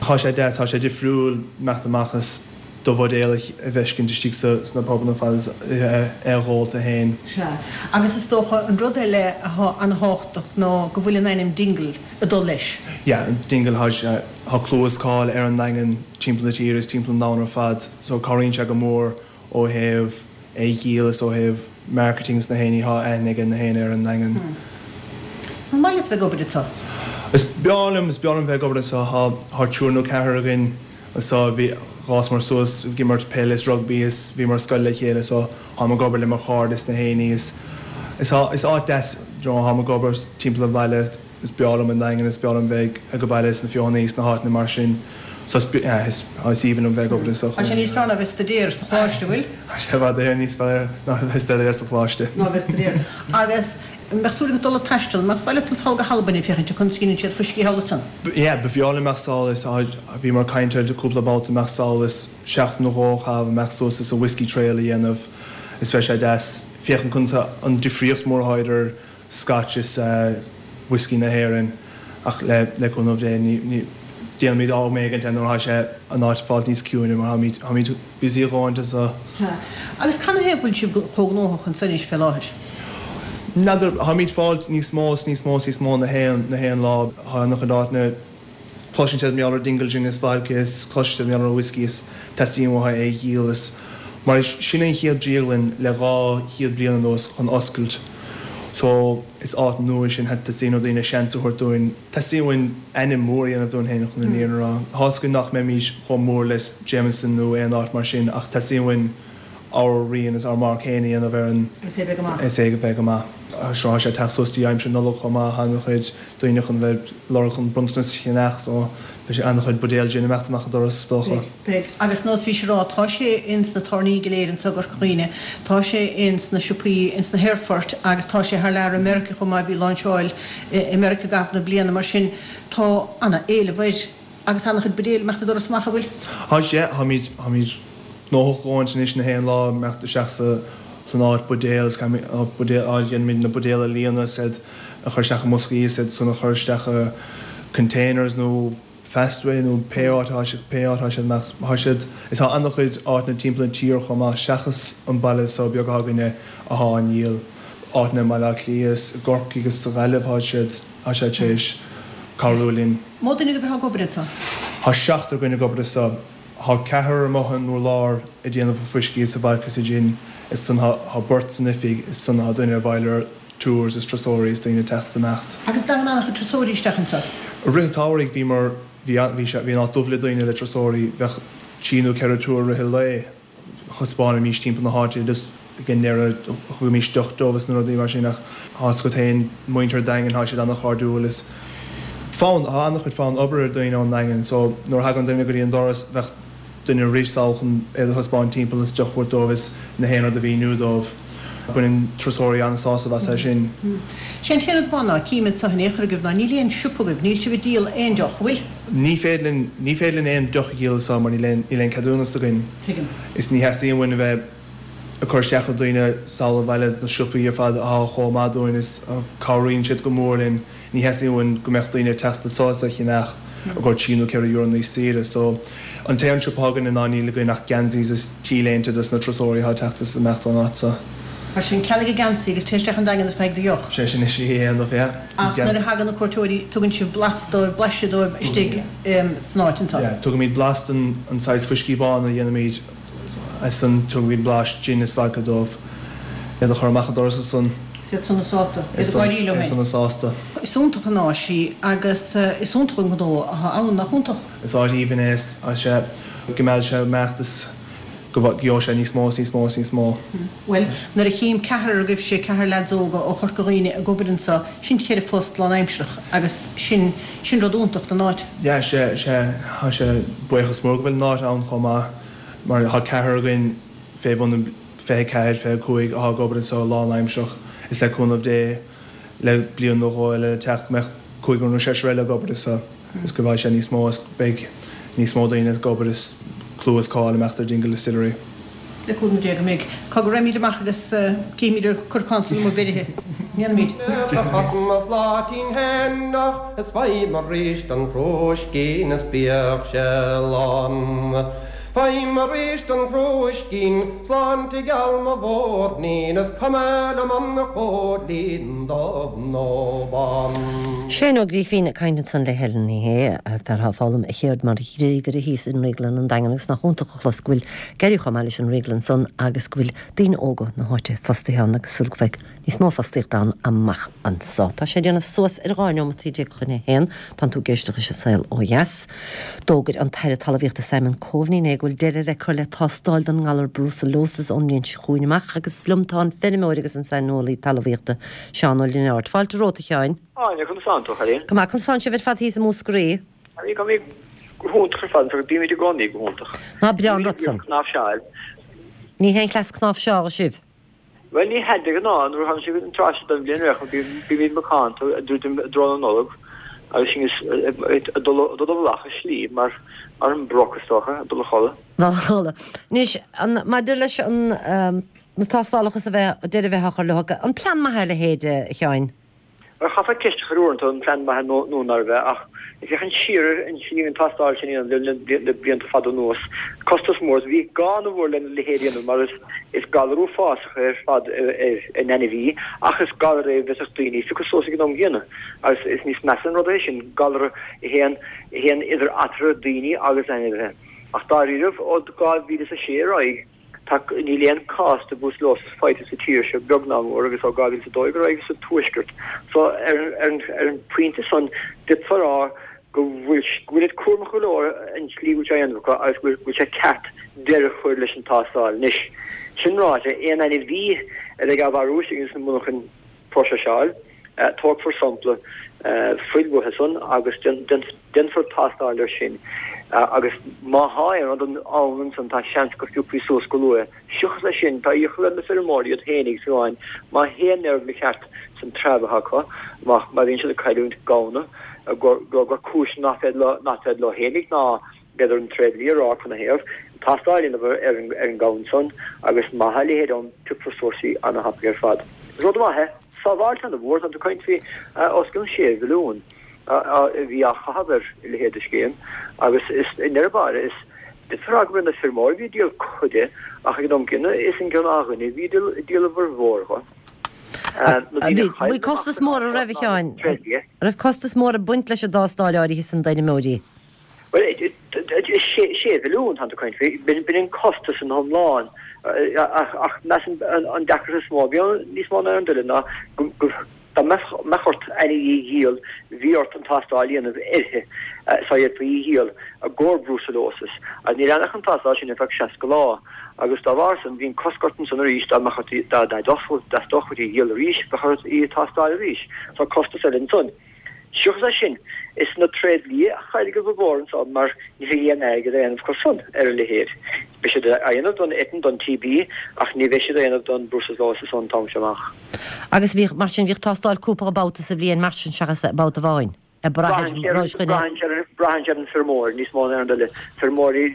thá sé deas, thá sé difriúil imeacht amach is do bhuidéal a fheiscint istigh sa sna pubanna fad is é a dh'ól tú fhéin. Sea. Agus is dócha an rud eile athá ana-thábhachtach ná go bhfuil an ainm Dingle ag dul leis. Yeah, Dingle thá sé thá clú is cáil ar an nDaingean timpeall na tíre is timpeall an domhain ar fad so cabhraíonn sé go mór Ó thaobh é a dhíol is ó thaobh marketing is na héinní thá aithne ag na héinne ar an nDaingean. An maith leat bheith ag obair anso? Is breá liom, is breá liom bheith ag obair anso. Thá, thá triúr nó ceathrar againn anso a bhí, dh'fhásamar suas ag imirt peile is rugbaí is bhíomar ar scoil le chéile so tháim ag obair le mo chairde is na héinní is, is, is áit deas, you know, tháim ag obair timpeall an bhaile. Is breá liom an Daingean, is breá liom bheith ag an baile is na Feothanaí is na háiteanna mar sin. So is is aoibhinn liom bheith ag obair anso. Tá sé níos fearr ná bheith ag staidéar sa choláiste, an bhfuil? Tá sé i bhfad Éireann níos fearr ná bheith ag staidéar sa choláiste. Ná bheith ag staidéar. Agus an mbeadh súil agat dul ag taisteal? An mbeadh mhaith leat dul sall go hAlbain ag féachaint conas a dhéanann siad fuiscí thall ansan? Yeah, ba bhreá liom imeacht sall is bhíomar ag caint air cúpla babhta imeacht sall is seachtain nó dhó a chaitheamh imeacht suas is an whiskey trail a dhéanamh is bheadh sé deas féachaint conas an difríocht mór atá idir Scotch is whiskey na hÉireann ach le cúnamh Dé ní déanfaimid am éigint é nuair atá sé an áit ag fáilt níos ciúine mar táimid táimid busy a dhóthaint anso. Agus canathaobh go bhfuil sibh chomh gnóthach anso anois fé láthair? N'fheadar, táimid fáilt níos mó is níos mó is níos mó na haon na haon lá. Tá an-chuid áiteanna. Cloiseann siad mar gheall ar Dingle Gin is vodka is cloiseann siad mar gheall ar whiskey is teastaíonn uathu é a dhíol is mar sin an chéad drioglann le 200 bliain anuas chun oscailt so is áit nua sin teastaíonn ó daoine seans a thabhairt dúinn teastaíonn uainn ainm mór a dhéanamh dúinn féin chun an fhírinne a rá. Tá 'fhios againn nach mbeimid chomh mór le Jameson nó aon áit mar sin ach teastaíonn uainn ár rian is ár marc féin a dhéanamh ar an Is é bheith go maith. Is é bheith go maith. Seo tá sé ag teacht suas dtí aimsir Nollag chomh maith, tá an-chuid daoine chun bheith ag lorg chun bronntanas a cheannach so beidh sé an-chuid buidéal gin imeacht amach an doras is dócha. Beidh. Agus nós bhís ag rá, tá sé ins na tábhairní go léir anso i gCorca Dhuibhne, tá sé ins na siopaí, ins na haerfoirt agus tá sé thar lear i Meiriceá chomh maith, bhí lainseáil i Meiriceá i gcaitheamh na bliana mar sin tá ana-éileamh air. Agus an-chuid buidéil imeacht an doras amach, an bhfuil? Tá sé, táimid, táimid gnóthach a dhóthaint anois na haon lá imeacht isteach sa, san áit buidéal is caithfimid, buidéal, á dhéanaimid na buidéil a líonadh is iad a chur isteach i mboscaí is iad san a chur isteach i containers nó Fastway nó pé áit atá siad, pé áit atá siad imeacht, tá siad, is tá an-chuid áiteanna timpeall na tíre chomh maith seachas an baile so beag atá againne athá á ndíol, áiteanna i mBaile Átha Cliath is i gCorcaigh is sa Ghaillimh tá siad, tá siad tar éis cabhrú linn. Mó duine agaibh atá ag obair anso? Tá seachtar againn ag obair anso. Tá ceathrar amuigh an urlár ag déanamh an fuiscí is an vodka is an gin is san tá beirt san oifig is san tá duine ag fáil ar tours is turasóirí is daoine ag teacht is imeacht. Agus dtagann an-chuid turasóirí isteach anso? I rith an tsamhraidh bhíomar, bhí, bhí sé, bhí an áit dubh le daoine le turasóirí, bheadh trí nó ceithre tour i rith an lae. Thaispeánaimís timpeall na háite just ag an ndeireadh thugaimis deoch dóibh is na rudaí mar sin ach tá 'fhios agat féin muintir an Daingin tá siad an-chairdiúil is fonn tá an-chuid fonn obair ar daoine ón nDaingean so nuair a thagann duine go dtí an doras bheadh duine ag rith sall chun iad a thaispeáint timpeall is deoch a thabhairt dóibh is na haon rud a mhíniú dóibh. Baineann turasóirí an-sásamh as é sin. Sé an t-aon rud amháin ná cím anso in aon chor agaibh ná níl aon siopa agaibh, níl sibh ag díol aon deoch, an bhfuil? Ní féidir linn, ní féidir linn aon deoch a dhíol anso mar níl aon, níl aon ceadúnas againn. Tuigim. Is ní theastaíonn uainn a bheith ag cur isteach ar daoine sall an bhaile, na siopaí ar fad athá chomh maith dúinn is cabhraíonn siad go mór linn. Ní theastaíonn uainn go mbeadh daoine ag teacht anso is á cheannach i gcomhair trí nó €4 níos saoire. So, an t-aon siopa atá againne ná níl againn ach geansaí is T-léinte dos na turasóirí atá ag teacht is imeacht ón áit so. Mar sin, ceannaigh geansaí agus téigh isteach an Daingean is faigh do dheoch. Sé sin is í a dhéanamh, yeah. Ach nuair a thagann na cuairteoirí, tugann sibh blas dóibh, blaiseadh dóibh istigh san áit anso. Yeah, tugaimid blas den an saghas fuiscí bán a dhéanaimid ansan tugaimid blas gin is vodka dóibh, iad a chur amach an doras ansan. Is iad sona sásta. Iad ag gáirí leo féin. Iad sona sásta. Is iontach an áis í agus is iontach an gnó atá ann, nach iontach? Is áit aoibhinn é is sea go mbeadh sé imeacht is go gheobhaidh sé níos mó is níos mó is níos mó. Bhuel, nuair a chím ceathrar agaibhse, ceathrar leaids óga ó Chorca Dhuibhne ag obair anso, sin cheithre phost lánaimsearach agus sin, sin rud iontach don áit. Yeah, sea, sea, tá sé, buíochas mór go bhfuil an áit ann chomh maith mar tá ceathrar againn fé bhun an 24, 25 atá ag obair anso lánaimsearach is le cúnamh Dé le bliain nó dhó eile le teacht go mbeadh cúigear nó seisear eile ag obair anso is go bhfaighidh sé níos mó is beidh níos mó daoine ag obair is clú is cáil imeacht ar Dingle Distillery. Le cúnamh Dé go mbeidh. Cá go raghaimid amach agus cífimid an corcán san amuigh beirithe. Ndéanfaimid. Mo phláitín fhéin ach is faighim arís an crúiscín is bíodh sé lán. Faighim arís an crúiscín, sláinte gheal mo mhúirnín is cuma liom an chóilín dubh nó bán. Shane Ó Grífín ag caint ansan le Helen Ní Shé, fear atá ag foghlaim a cheird mar ghríogaire thíos i nDrioglann an Daingin agus nach iontach a chlos go bhfuil ag éirí chomh maith leis an ndrioglann san agus go bhfuil daoine óga na háite fostaithe ann agus súil go mbeidh níos mó fostaíochta ann amach anso. Tá sé ag déanamh suas ar 12 neomataí chun a haon. Tánn tú ag éisteacht leis an Saol Ó Dheas. D'fhógair an tAire Talmhaíochta Simon Coveney inné go bhfuil deireadh le cur le tástáil don ngalar Brucellosis ón mbliain seo chugainn amach agus liom tá an feirmeoir agus an saineolaí talmhaíochta Seán Ó Lionáird. Fáilte romhat a Sheáin. Áine, conas tánn tú, a chailín? Go maith, conas tánn sibh ar fad thíos i Múscraí? Bhí go go hiontach ar fad, bímid i gcónaí go hiontach. Ná breá an rud san. Cnáimhseáil. Ní haon chleas cnáimhseáil sibh. Bhuel, ní hea de ghnáth, nuair a thagann sé an tráth seo den bhliain réidh, bímid macánta ag druidim i dtreo na Nollag agus sinn ag dul i bhfolach i slí mar an broc, is dócha, ag dul a chodladh. Dul a chodladh. Anois, maidir leis an, na tástálacha is a bheith, deireadh a bheith á chur leo, an plean maith é a leithéid, a Sheáin? Bhuel, chaithfeá ceist a chur uaireanta an plean maith é nó nárbh ea, ach ag féachaint siar ar an tslí an tástáil sin a dhéanamh le blianta fada anuas, costas mór, bhí gá ana-mhór lena leithéid a dhéanamh mar is galar uafásach é ar fad ar an ainmhí ach is galar é a bhféadfadh daoine a phiocadh suas ag an am gcéanna agus is níos measa an rud é sin, galar a théann idir eatarthu daoine agus ainmhithe. Ach dáiríribh, ó 2006 ar aghaidh, Tá, níl aon cás de brucellosis faighte sa tír seo, beag ná mór, agus ó 2012 ar aghaidh sa tuaisceart. So, ar ar an phointe san, d'fhéadfá a rá go bhfuil, go bhfuil siad cúramach go leor an tslí go bhfuil sé á dhéanamh acu agus go bhfuil sé ceart deireadh a chur leis an tástáil. Anois, sin ráite, aon ainmhí a bheidh á mharú istigh ins na monarchain próiseáil, Tógfar sampla fuil uathu san agus déanfar tástáil air sin agus má thá aon rud ann ansan tá seans go phiocfaí suas go luath. Seachas é sin, tá iachall ar na feirmeoirí iad féinig fiú amháin má théann aon rud mícheart san treabh atá acu, má bhíonn siad ag cailliúint gamhna, gur cúis nach féidir leo féinig ná b'fhéidir an tréidlia a rá canathaobh, tástáil a dhéanamh ar an ngamhain san agus má thá a leithéid ann piocfar suas í ana-thapaidh ar fad. Rud maith é. Sábháilt ana-mhór, tá tú ag caint faoi os cionn 6 mhilliún a bhí á chaitheamh ar a leithéid de scéim agus is i ndeireadh báire is d'fhéadfá a rá gurb iad na feirmeoirí a bhí ag díol cuid de ach ag an am gcéanna is an gnáthdhuine a bhí ag díol a bhformhór dho. Bhí costas mór an raibh a Sheáin? Raibh costas mór ag baint leis an dtástáil áirithe san d'fheirmeoirí? Bhuel, 6 mhilliún tá tú ag caint faoi, b'in an costas ina iomlán. Ach measaim an deacracht is mó a bhí ann, níos mó ná aon rud eile, ná dá mbeadh ort ainmhí a dhíol, bhí ort an tástáil a dhéanamh uirthi sá bhféadfaí í a dhíol i gcomhair brucellosis. Agus ní leanfadh an tástáil sin ar feadh 60 lá. Agus dá bharr san, bhí an cosc ort ansan arís dá mbeadh ort, dá dteastódh uait í a dhíol arís, bheadh ort í a tástáil arís. So costas eile ansan. Seachas é sin, is na tréidlia a chaill go mhór anso mar ní bheidh aon airgead á dhéanamh acu san ar a leithéid. Beidh siad á dhéanamh don eitinn, don TB, ach ní bheidh siad á dhéanamh don brucellosis ón t-am seo amach. Agus bhíodh, mar sin, bhíodh tástáil cúpla babhta sa bhliain mar sin seachas babhta amháin? Ag brath ar rois dhuine. Braitheann sé ar an feirmeoir níos mó ná aon rud eile. Feirmeoirí,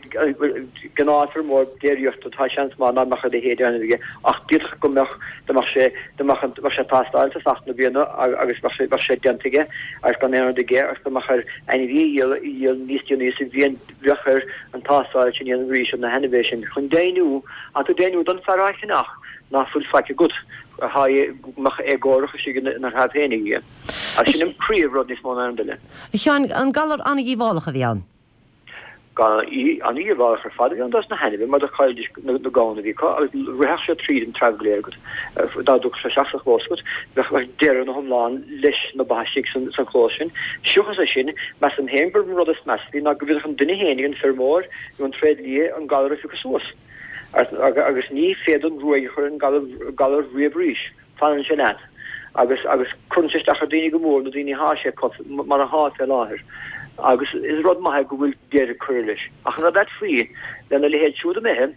gnáthfheirmeoir déiríochta, tá seans maith nach mbeadh a leithéid á dhéanamh aige ach d'fhéadfadh go mbeadh, dá mbeadh sé, dá mbeadh an, bheadh sé tástáil i dtosach na bliana agus bheadh sé, bheadh sé déanta aige agus gan aon rud aige agus dá mbeadh air ainmhí a dhíol, a dhíol níos déanaí sa bhliain bheadh air an tástáil sin a dhéanamh arís ar na hainmhithe sin chun deimhniú, tá tú ag deimhniú don fear á cheannach nach bhfuil faic agat, go mbeadh éagórach istigh ina threabh féinig aige. Agus sin an príomh-rud níos mó ná aon rud eile. A Sheáin, an galar an-dhíobhálach a bhí ann? Galar an-dhíobhálach ar fad a bhí ann dos na hainmhithe mar do chaillidís na gamhna a bhí acu agus rithfeadh sé tríd an treabh go léir agat. Dá dtiocfadh sé isteach sa chlós agat, bheadh deireadh ina hiomlán leis na ba istigh san chlós sin. Seachas é sin, measaim féin gurb an rud is measa a bhí ná go bhféadfadh an duine féinig, an feirmeoir nó an tréidlia an galar a phiocadh suas. Agus ní féidir an ruaig a chur ar an galar riamh arís. Fanann sé leat agus agus cuireann sé isteach ar daoine go mór, na daoine athá sé acu mar athá fé láthair. Agus is rud maith é go bhfuil deireadh curtha leis. Ach an rud ait faoi, lena leithéid siúd imithe,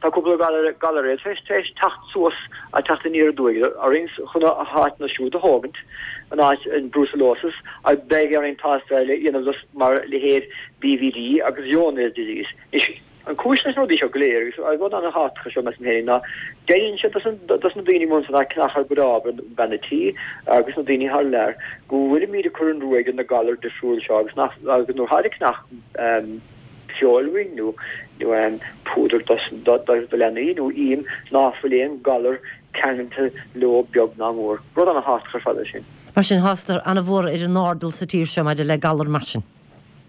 tá cúpla galar galar eile tar éis teacht suas, a teacht aniar aduaidh orainn chun a háiteanna siúd a thógaint, an áit an brucellosis, agus beidh orainn tástáil a dhéanamh mar leithéid BVD agus Johne's disease. Anois. An cúis leis na rudaí seo go léir, agus rud an-thábhachtach é seo measaim féin, ná deireann siad dos na daoine amuigh ansan atá ag ceannach ár gcuid ábhar, bean a' tí agus na daoine thar lear, go bhfuilimíd ag cur an ruaig ar na galair difriúil seo agus nach, agus nuair atáid ag ceannach feoil uainn nó nó púdar dos do leanaí nó im ná fuil aon galar ceangailte leo beag ná mór. Rud an-thábhachtach ar fad é sin. Mar sin, tá siad an-mhór ar an airdeall sa tír seo maidir le galair mar sin.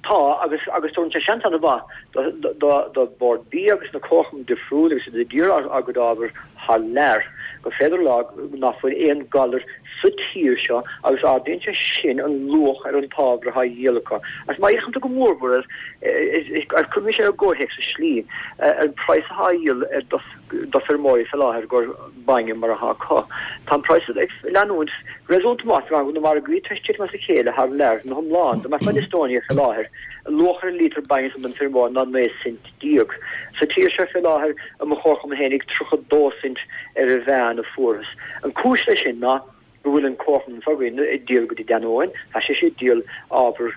Tá, agus agus tugann sé seans an-mhaith do do do Bord Bia agus na comharchumainn difriúil agus iad ag iarraidh ár gcuid ábhair thar lear gur féidir a rá ná fuil aon galar sa tír seo agus ardaíonn sé sin an luach ar an t-ábhar atá á dhíol acu. Agus má fhéachann tú go mórmhór air, agus cuirfidh mise i gcomhthéacs i slí, ar an praghas atá á dhíol ar do do feirmeoirí fé láthair gur bainne mar atá acu. Tá an praghas ag leanúint réasúnta maith go na margaí tar éis titim as a chéile thar lear ina hiomlán. Dá mbeifeá in Estonia fé láthair, an luach ar an lítear bainne san don feirmeoir ná 19 cent. Sa tír seo fé láthair, i mo chomharchumann fhéinig, 32 cent ar an mheán a fuarthas. An cúis leis sin ná go bhfuil an comharchumann s'againn ag díol go dtí Danone, tá sise ag díol ábhar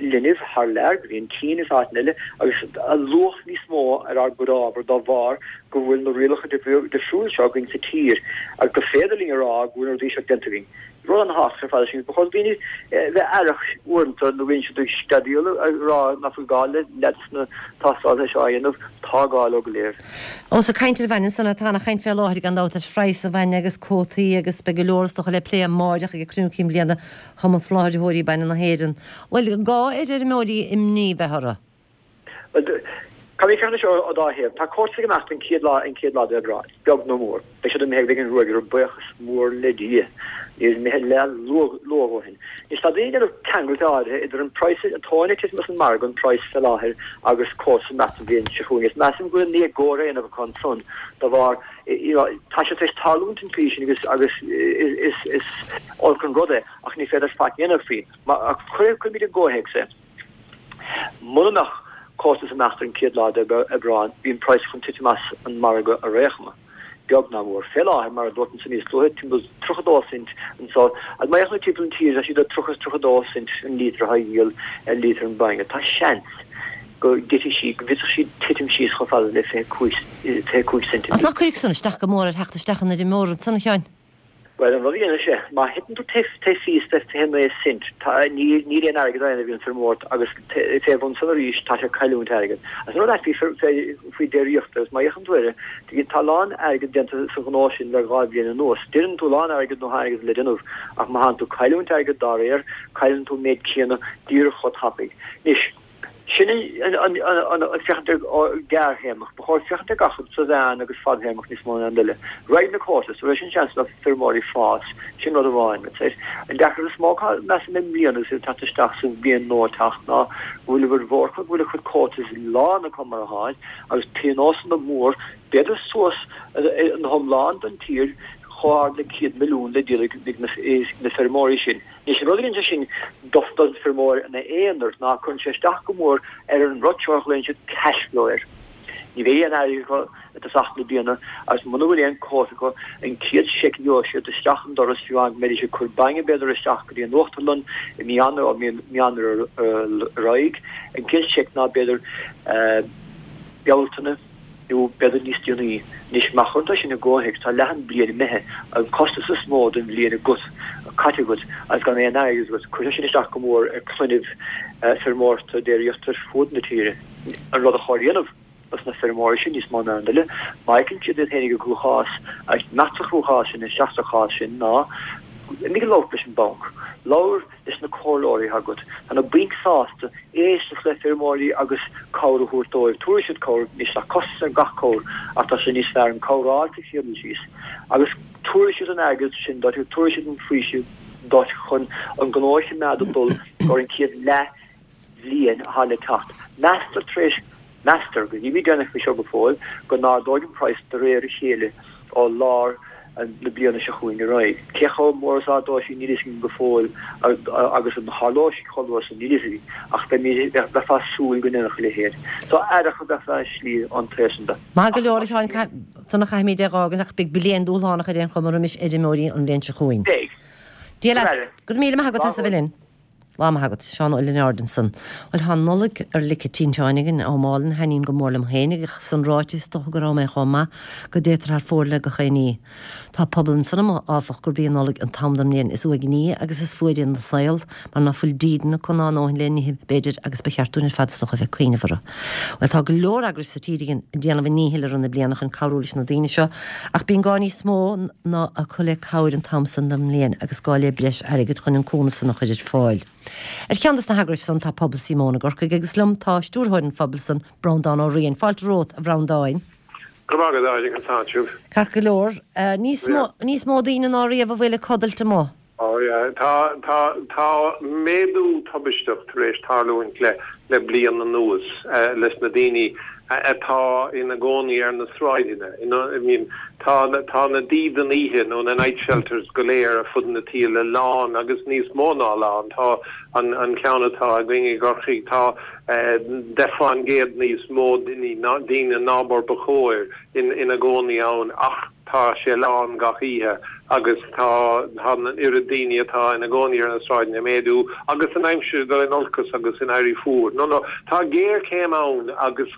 linbh thar lear go dtí an tSín agus áiteanna eile agus luach níos mó ar ár gcuid ábhar dá bharr go bhfuil na rialacha difriúil seo againn sa tír agus gur féidir linn a rá go bhfuil na rudaí seo déanta againn. Rud an-thábhachtach ar fad é sin. Ba chóir do dhaoine bheith aireach uaireanta nuair a bhíonn siad ag screadaíl ag rá nach bhfuil gá le leid sna tástálacha seo a dhéanamh. Tá gá leo go léir. Ós ag caint ar bhainne ansan, tá ana-chaint fé láthair gan dabht ar phraghas an bhainne agus cuótaí agus beidh go leor is dócha le plé amáireach ag cruinniú cinn bliana Chumann Soláthaitheoirí Bainne na hÉireann. Bhfuil gá ar fheirmeoirí imní bheith orthu? Bhuel, caithfimid féachaint air seo ó dá thaobh. Tá cuótaí ag imeacht an chéad lá, an chéad lá d'Aibreán, beag nó mór. Beidh siad imithe, beidh an ruaig orthu, buíochas mór le Dia. Níl imithe le luath, luath ó shin. Anois, tá daoine ag déanamh ceangailt áirithe idir an praghas, an tóin ag titim as an margadh, an praghas fé láthair, agus cuótaí ag imeacht an bhliain seo chugainn. Is measaim go bhfuil an éagóir á dhéanamh acu ansan de bharr, you know, tá sé tar éis tarlúint an tslí sin agus, agus is, is olc an rud é, ach ní féidir faic a dhéanamh faoi. Má, ach cuirimid i gcomhthéacs é. Muna mbeadh cuótaí ag imeacht ar an chéad lá d'Aibreán, bhí an praghas chun titim as an margadh ar aon chuma, beag ná mór. Fé láthair, mar a dúirt ansan níos luaithe, timpeall 32 cent anso, agus má fhéachann tú timpeall an tír, tá siad ag 30 is 32 cent an líotar atá á dhíol ar líotar an bainne. Tá seans go dtitfidh sí, go bhféadfadh sí titim síos chomh fada le 25 cent an Ach ná cuirfidh san isteach go mór ar theacht isteach an fheirmeora ansan, a Sheáin? Bhuel, an rud a dhéanfaidh sé, má thiteann tú taobh thíos de 29 cent, tá, níl, níl aon airgead á dhéanamh ag an feirmeoir agus fé bhun san arís, tá sé ag cailliúint airgead. Agus an rud ait faoi, fé, faoi déiríocht, agus má fhéachann tú air, tá a lán airgead déanta sa ghnó sin le 2 bhliain anuas. Déanann tú a lán airgead nó tá airgead le déanamh, ach má thánn tú ag cailliúint airgead dá réir, cailleann tú an méid céanna díreach chomh tapaidh. Anois. Sin an féachaint ar gearrthéarmach. Ba chóir féachaint ar gach rud sa mheán agus fadthéarmach níos mó ná aon duine. Raghaidh na cuótaí, tabharfaidh sin seans do feirmeoirí fás, sin rud amháin. An deacracht is mó atá, measaim, i mbliana agus iad ag teacht isteach sa bhliain nua ag teacht ná go bhfuil a bhfuil mhór acu, go bhfuil a chuid cuótaí lán acu mar atháid agus pionósanna mór, b'fhéidir suas ina hiomlán don tír chomh hard le 100 milliún le díol ag na feirmeoirí sin. Anois, an rud a dhéanann sé sin don feirmeoir ina aonar ná cuireann sé isteach go mór ar an rud seo a ghlaonn siad cash flow air. Ní bheidh aon airgead acu i dtosach na bliana agus muna bhfuil aon quota acu, an chéad seic a gheobhaidh siad isteach an doras fiú amháin go mbeidís ag cur bainne b'fhéidir isteach go dtí an uachtarlann i mí Eanáir, ó mí Eanáir ar aghaidh, an chéad seic ná b'fhéidir Bealtaine. nó b'fhéidir níos déanaí. Anois, má chuireann tú sin i gcomhthéacs, tá leath an bhliain imithe, an costas is mó den bhliain agat, caite agat, agus gan aon airgead agat. Cuirfidh sé sin isteach go mór ar clainne feirmeoireachta déiríochta ar fud na tíre. An rud a chóir a dhéanamh dos na feirmeoirí sin níos mó ná aon duine, má fheiceann siad iad féinig i gcruachás, agus imeacht sa chruachás sin, isteach sa chás sin, ná imigh ag labhairt leis an banc. Labhair. leis na comhairleoirí atá agat. Tá na bainc sásta éisteacht le feirmeoirí agus cabhair a thabhairt dóibh. Tabharfaidh siad cabhair, anois tá costas ar gach cabhair ach tá sé níos fearr an cabhair a fháil sa chéad dul síos. Agus tabharfaidh siad an airgead sin duit, tabharfaidh siad an faoiseamh duit chun an gnó a choimeád ag dul thar an chéad leath bhliain atá le teacht. Meastar tar éis, meastar, go nílimid deimhneach faoi seo go fóill, go n-ardóidh an praghas de réir a chéile ó lár na bliana seo chugainn ar aghaidh. Cé chomh mór is a ardóidh sí níl a fhios againn go fóill agus an tharlóidh sí chomh luath san níl a fhios againn ach beimid, bheifeá ag súil go ndéanfadh a leithéid. So aireach a bheifeá i slí ón taobh san de. Maith go leor a Sheáin, san a chaithfimid é a dh'fhágaint ach beidh bliain dúshlánach ar aon chuma roimis fheirmeoirí an bhliain seo chugainn. Beidh. Dia leat. Go raibh míle maith agat as a bheith linn. Lá maith agat. Seán Ó Lionáird ansan. Bhuel, tá an Nollaig ar lice tinteáin againn, am álainn a thaitníonn go mór liom féin agus san ráite is dócha go raibh mé chomh maith go dtéitear thar fóir le gach aon ní. Tá pobal ansan amuigh, áfach, gurb í an Nollaig an t-am den mbliain is uaigní agus is fuaire ina saol, mar ná fuil dídean acu ná a ndóthain le n-ithe, b'fhéidir, agus ba cheart dúinn ar fad is dócha a bheith ag cuimhneamh orthu. Bhuel, tá go leor eagrais sa tír againn ag déanamh a ndíchill i rith na bliana chun cabhrú leis na daoine seo, ach bíonn gá níos mó ná acu le cabhair an t-am san den mbliain agus gá le breis airgid chun an cúnamh san a chur ar fáil. Ar cheann dos na heagrais san tá Pobal Síomóin i gCorcaigh agus liom tá stiúrthóir an phobail san, Breandán Ó Riain. Fáilte romhat, a Bhreandáin. Go raibh maith agat, Áine, conas tánn sibh? Ceart go leor. Níos mó, níos mó daoine ná riamh a bhfuil ag codailt amuigh. Oh yeah, tá, tá, tá méadú tubaisteach tar éis tarlúint le, le bliain anuas leis na daoine atá ina gcónaí ar na sráideanna. I mean, tá, tá na dídean oíche nó na night shelters go léir ar fud na tíre lán agus níos mó ná lán. Tá an, an ceann atá againn i gCorcaigh, tá 10% níos mó duine, daoine ná mar ba chóir ina gcónaí ann ach tá sé lán gach oíche agus tá an oiread daoine atá ina gcónaí ar na sráideanna ag méadú agus an aimsir ag dul in olcas agus ag éirí fuar. No, no, tá géarchéim ann agus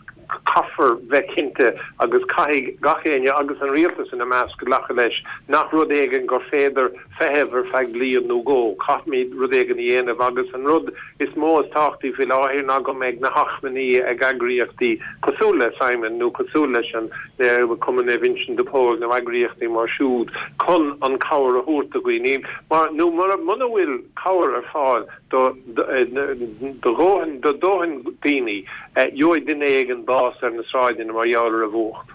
caithfear bheith cinnte agus caithfidh gach éinne agus an rialtas ina measc glacadh leis nach rud éigin gur féidir feitheamh ar feadh bliain nó dhó. Caithfimid rud éigin a dhéanamh agus an rud is mó is tábhachtaí faoi láthair ná go mbeidh na hachmainní ag eagraíochtaí cosúil le Simon nó cosúil leis an Cumann Naomh Uinseann de Pól nó eagraíochtaí mar siúd chun an cabhair a thabhairt do dhaoine mar nó mura muna bhfuil cabhair ar fáil do do dhóthain do dóthain daoine gheobhaidh duine éigin bás ar na sráideanna mar gheall ar an bhfuacht.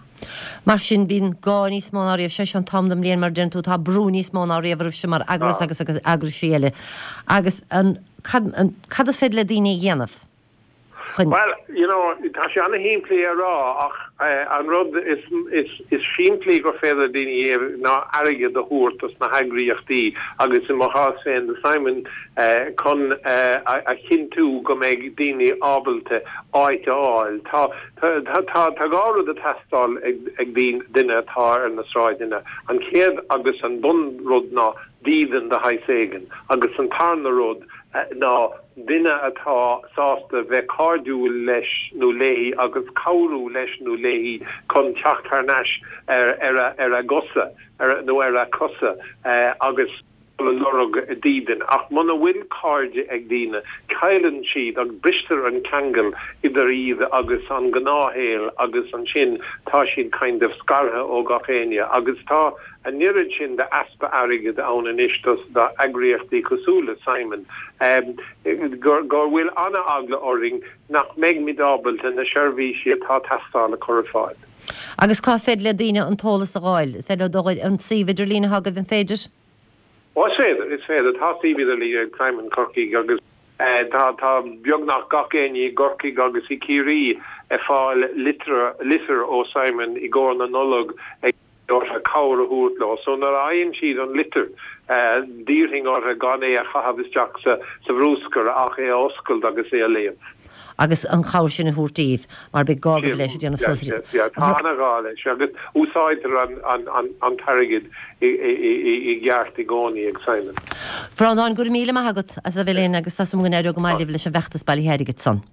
Mar sin, bíonn gá níos mó ná riamh, sé seo an t-am den mbliain mar a deireann tú, tá brú níos mó ná riamh oraibhse mar eagras agus agus eagraisí eile. Agus an, cad, an, cad is féidir le daoine a dhéanamh chun. Bhuel, you know, tá sé ana-shimplí a rá ach an rud is, is, is simplí gur féidir le daoine a dhéanamh ná airgead a thabhairt dos na heagraíochtaí agus i mo chás féin do Simon chun a chinntiú go mbeidh daoine ábalta áit a fháil. Tá, Tá 2 rud ag teastáil ag duine atá ar na sráideanna. An chéad agus an bun rud ná dídean de shaghas éigin agus an tarna rud ná duine atá sásta bheith cairdiúil leis nó léi agus cabhrú leis nó léi chun teacht thar n-ais ar a gcosa nó ar a cosa agus dul ag lorg dídin. Ach muna bhfuil cairde ag daoine, cailleann siad agus bristear an ceangal idir iad agus an gnáthshaol agus ansin tá siad kind of scartha ó gach éinne. Agus tá an oiread sin de easpa airgid ann anois dos d'eagraíochtaí cosúil le Simon gur bhfuil ana-eagla orainn nach mbeidh muid ábalta na seirbhísí atá ag teastáil a chur ar fáil. Agus cá féidir le daoine an t-eolas a dh'fháil? Is féidir leo dul ar an suíomh idirlín atá agaibh, an féidir? Ó, is féidir, is féidir. Tá suíomh idirlín ag Simon Corcaigh agus tá, tá beagnach gach éinne i gCorcaigh agus i Ciarraí ag fáil litir, litir ó Simon i gcomhair na Nollag ag orthu cabhair a thabhairt leo. So nuair a fhaigheann siad an litir, d'iarrfainn orthu gan é a chaitheamh isteach sa, sa bhrúscar ach é a oscailt agus é a léamh. agus an chabhair sin a thabhairt daoibh, mar beidh gá agaibh leis ag déanamh suas ar. Tá an-ghá leis agus úsáidtear an t-airgead i gceart i gcónaí ag Simon. Bhreandáin, go raibh míle maith agat as a bheith linn agus tá súil agam go n-éireoidh go maith libh leis an bhfeachtas bailithe airgid san.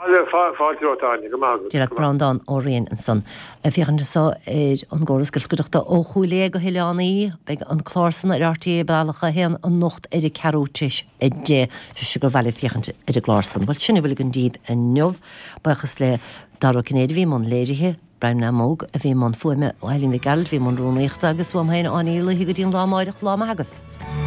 Fáilte romhat, Áine. Go maith agat. Dia leat Breandán Ó Riain ansan. Ag féachaint anso ar an gcóras iascaireachta ó Chúil Aodha go hOileán Í. Beidh an clár san ar RTÉ Bealach 1 anocht ar a ceathrú tar éis 10. Sé gur mhaith libh féachaint ar an gclár san. Bhuel, sin a bhfuil againn daoibh inniu. Buíochas le Dara Ó Cinnéide a bhí i mbun léirithe, Brian Namóg a bhí i mbun fuaime, Eileen Mhic Gearailt a bhí i mbun rúnaíochta agus uaim féin, Áine Ní Laoithe go dtí an lá amáireach, lá maith agaibh.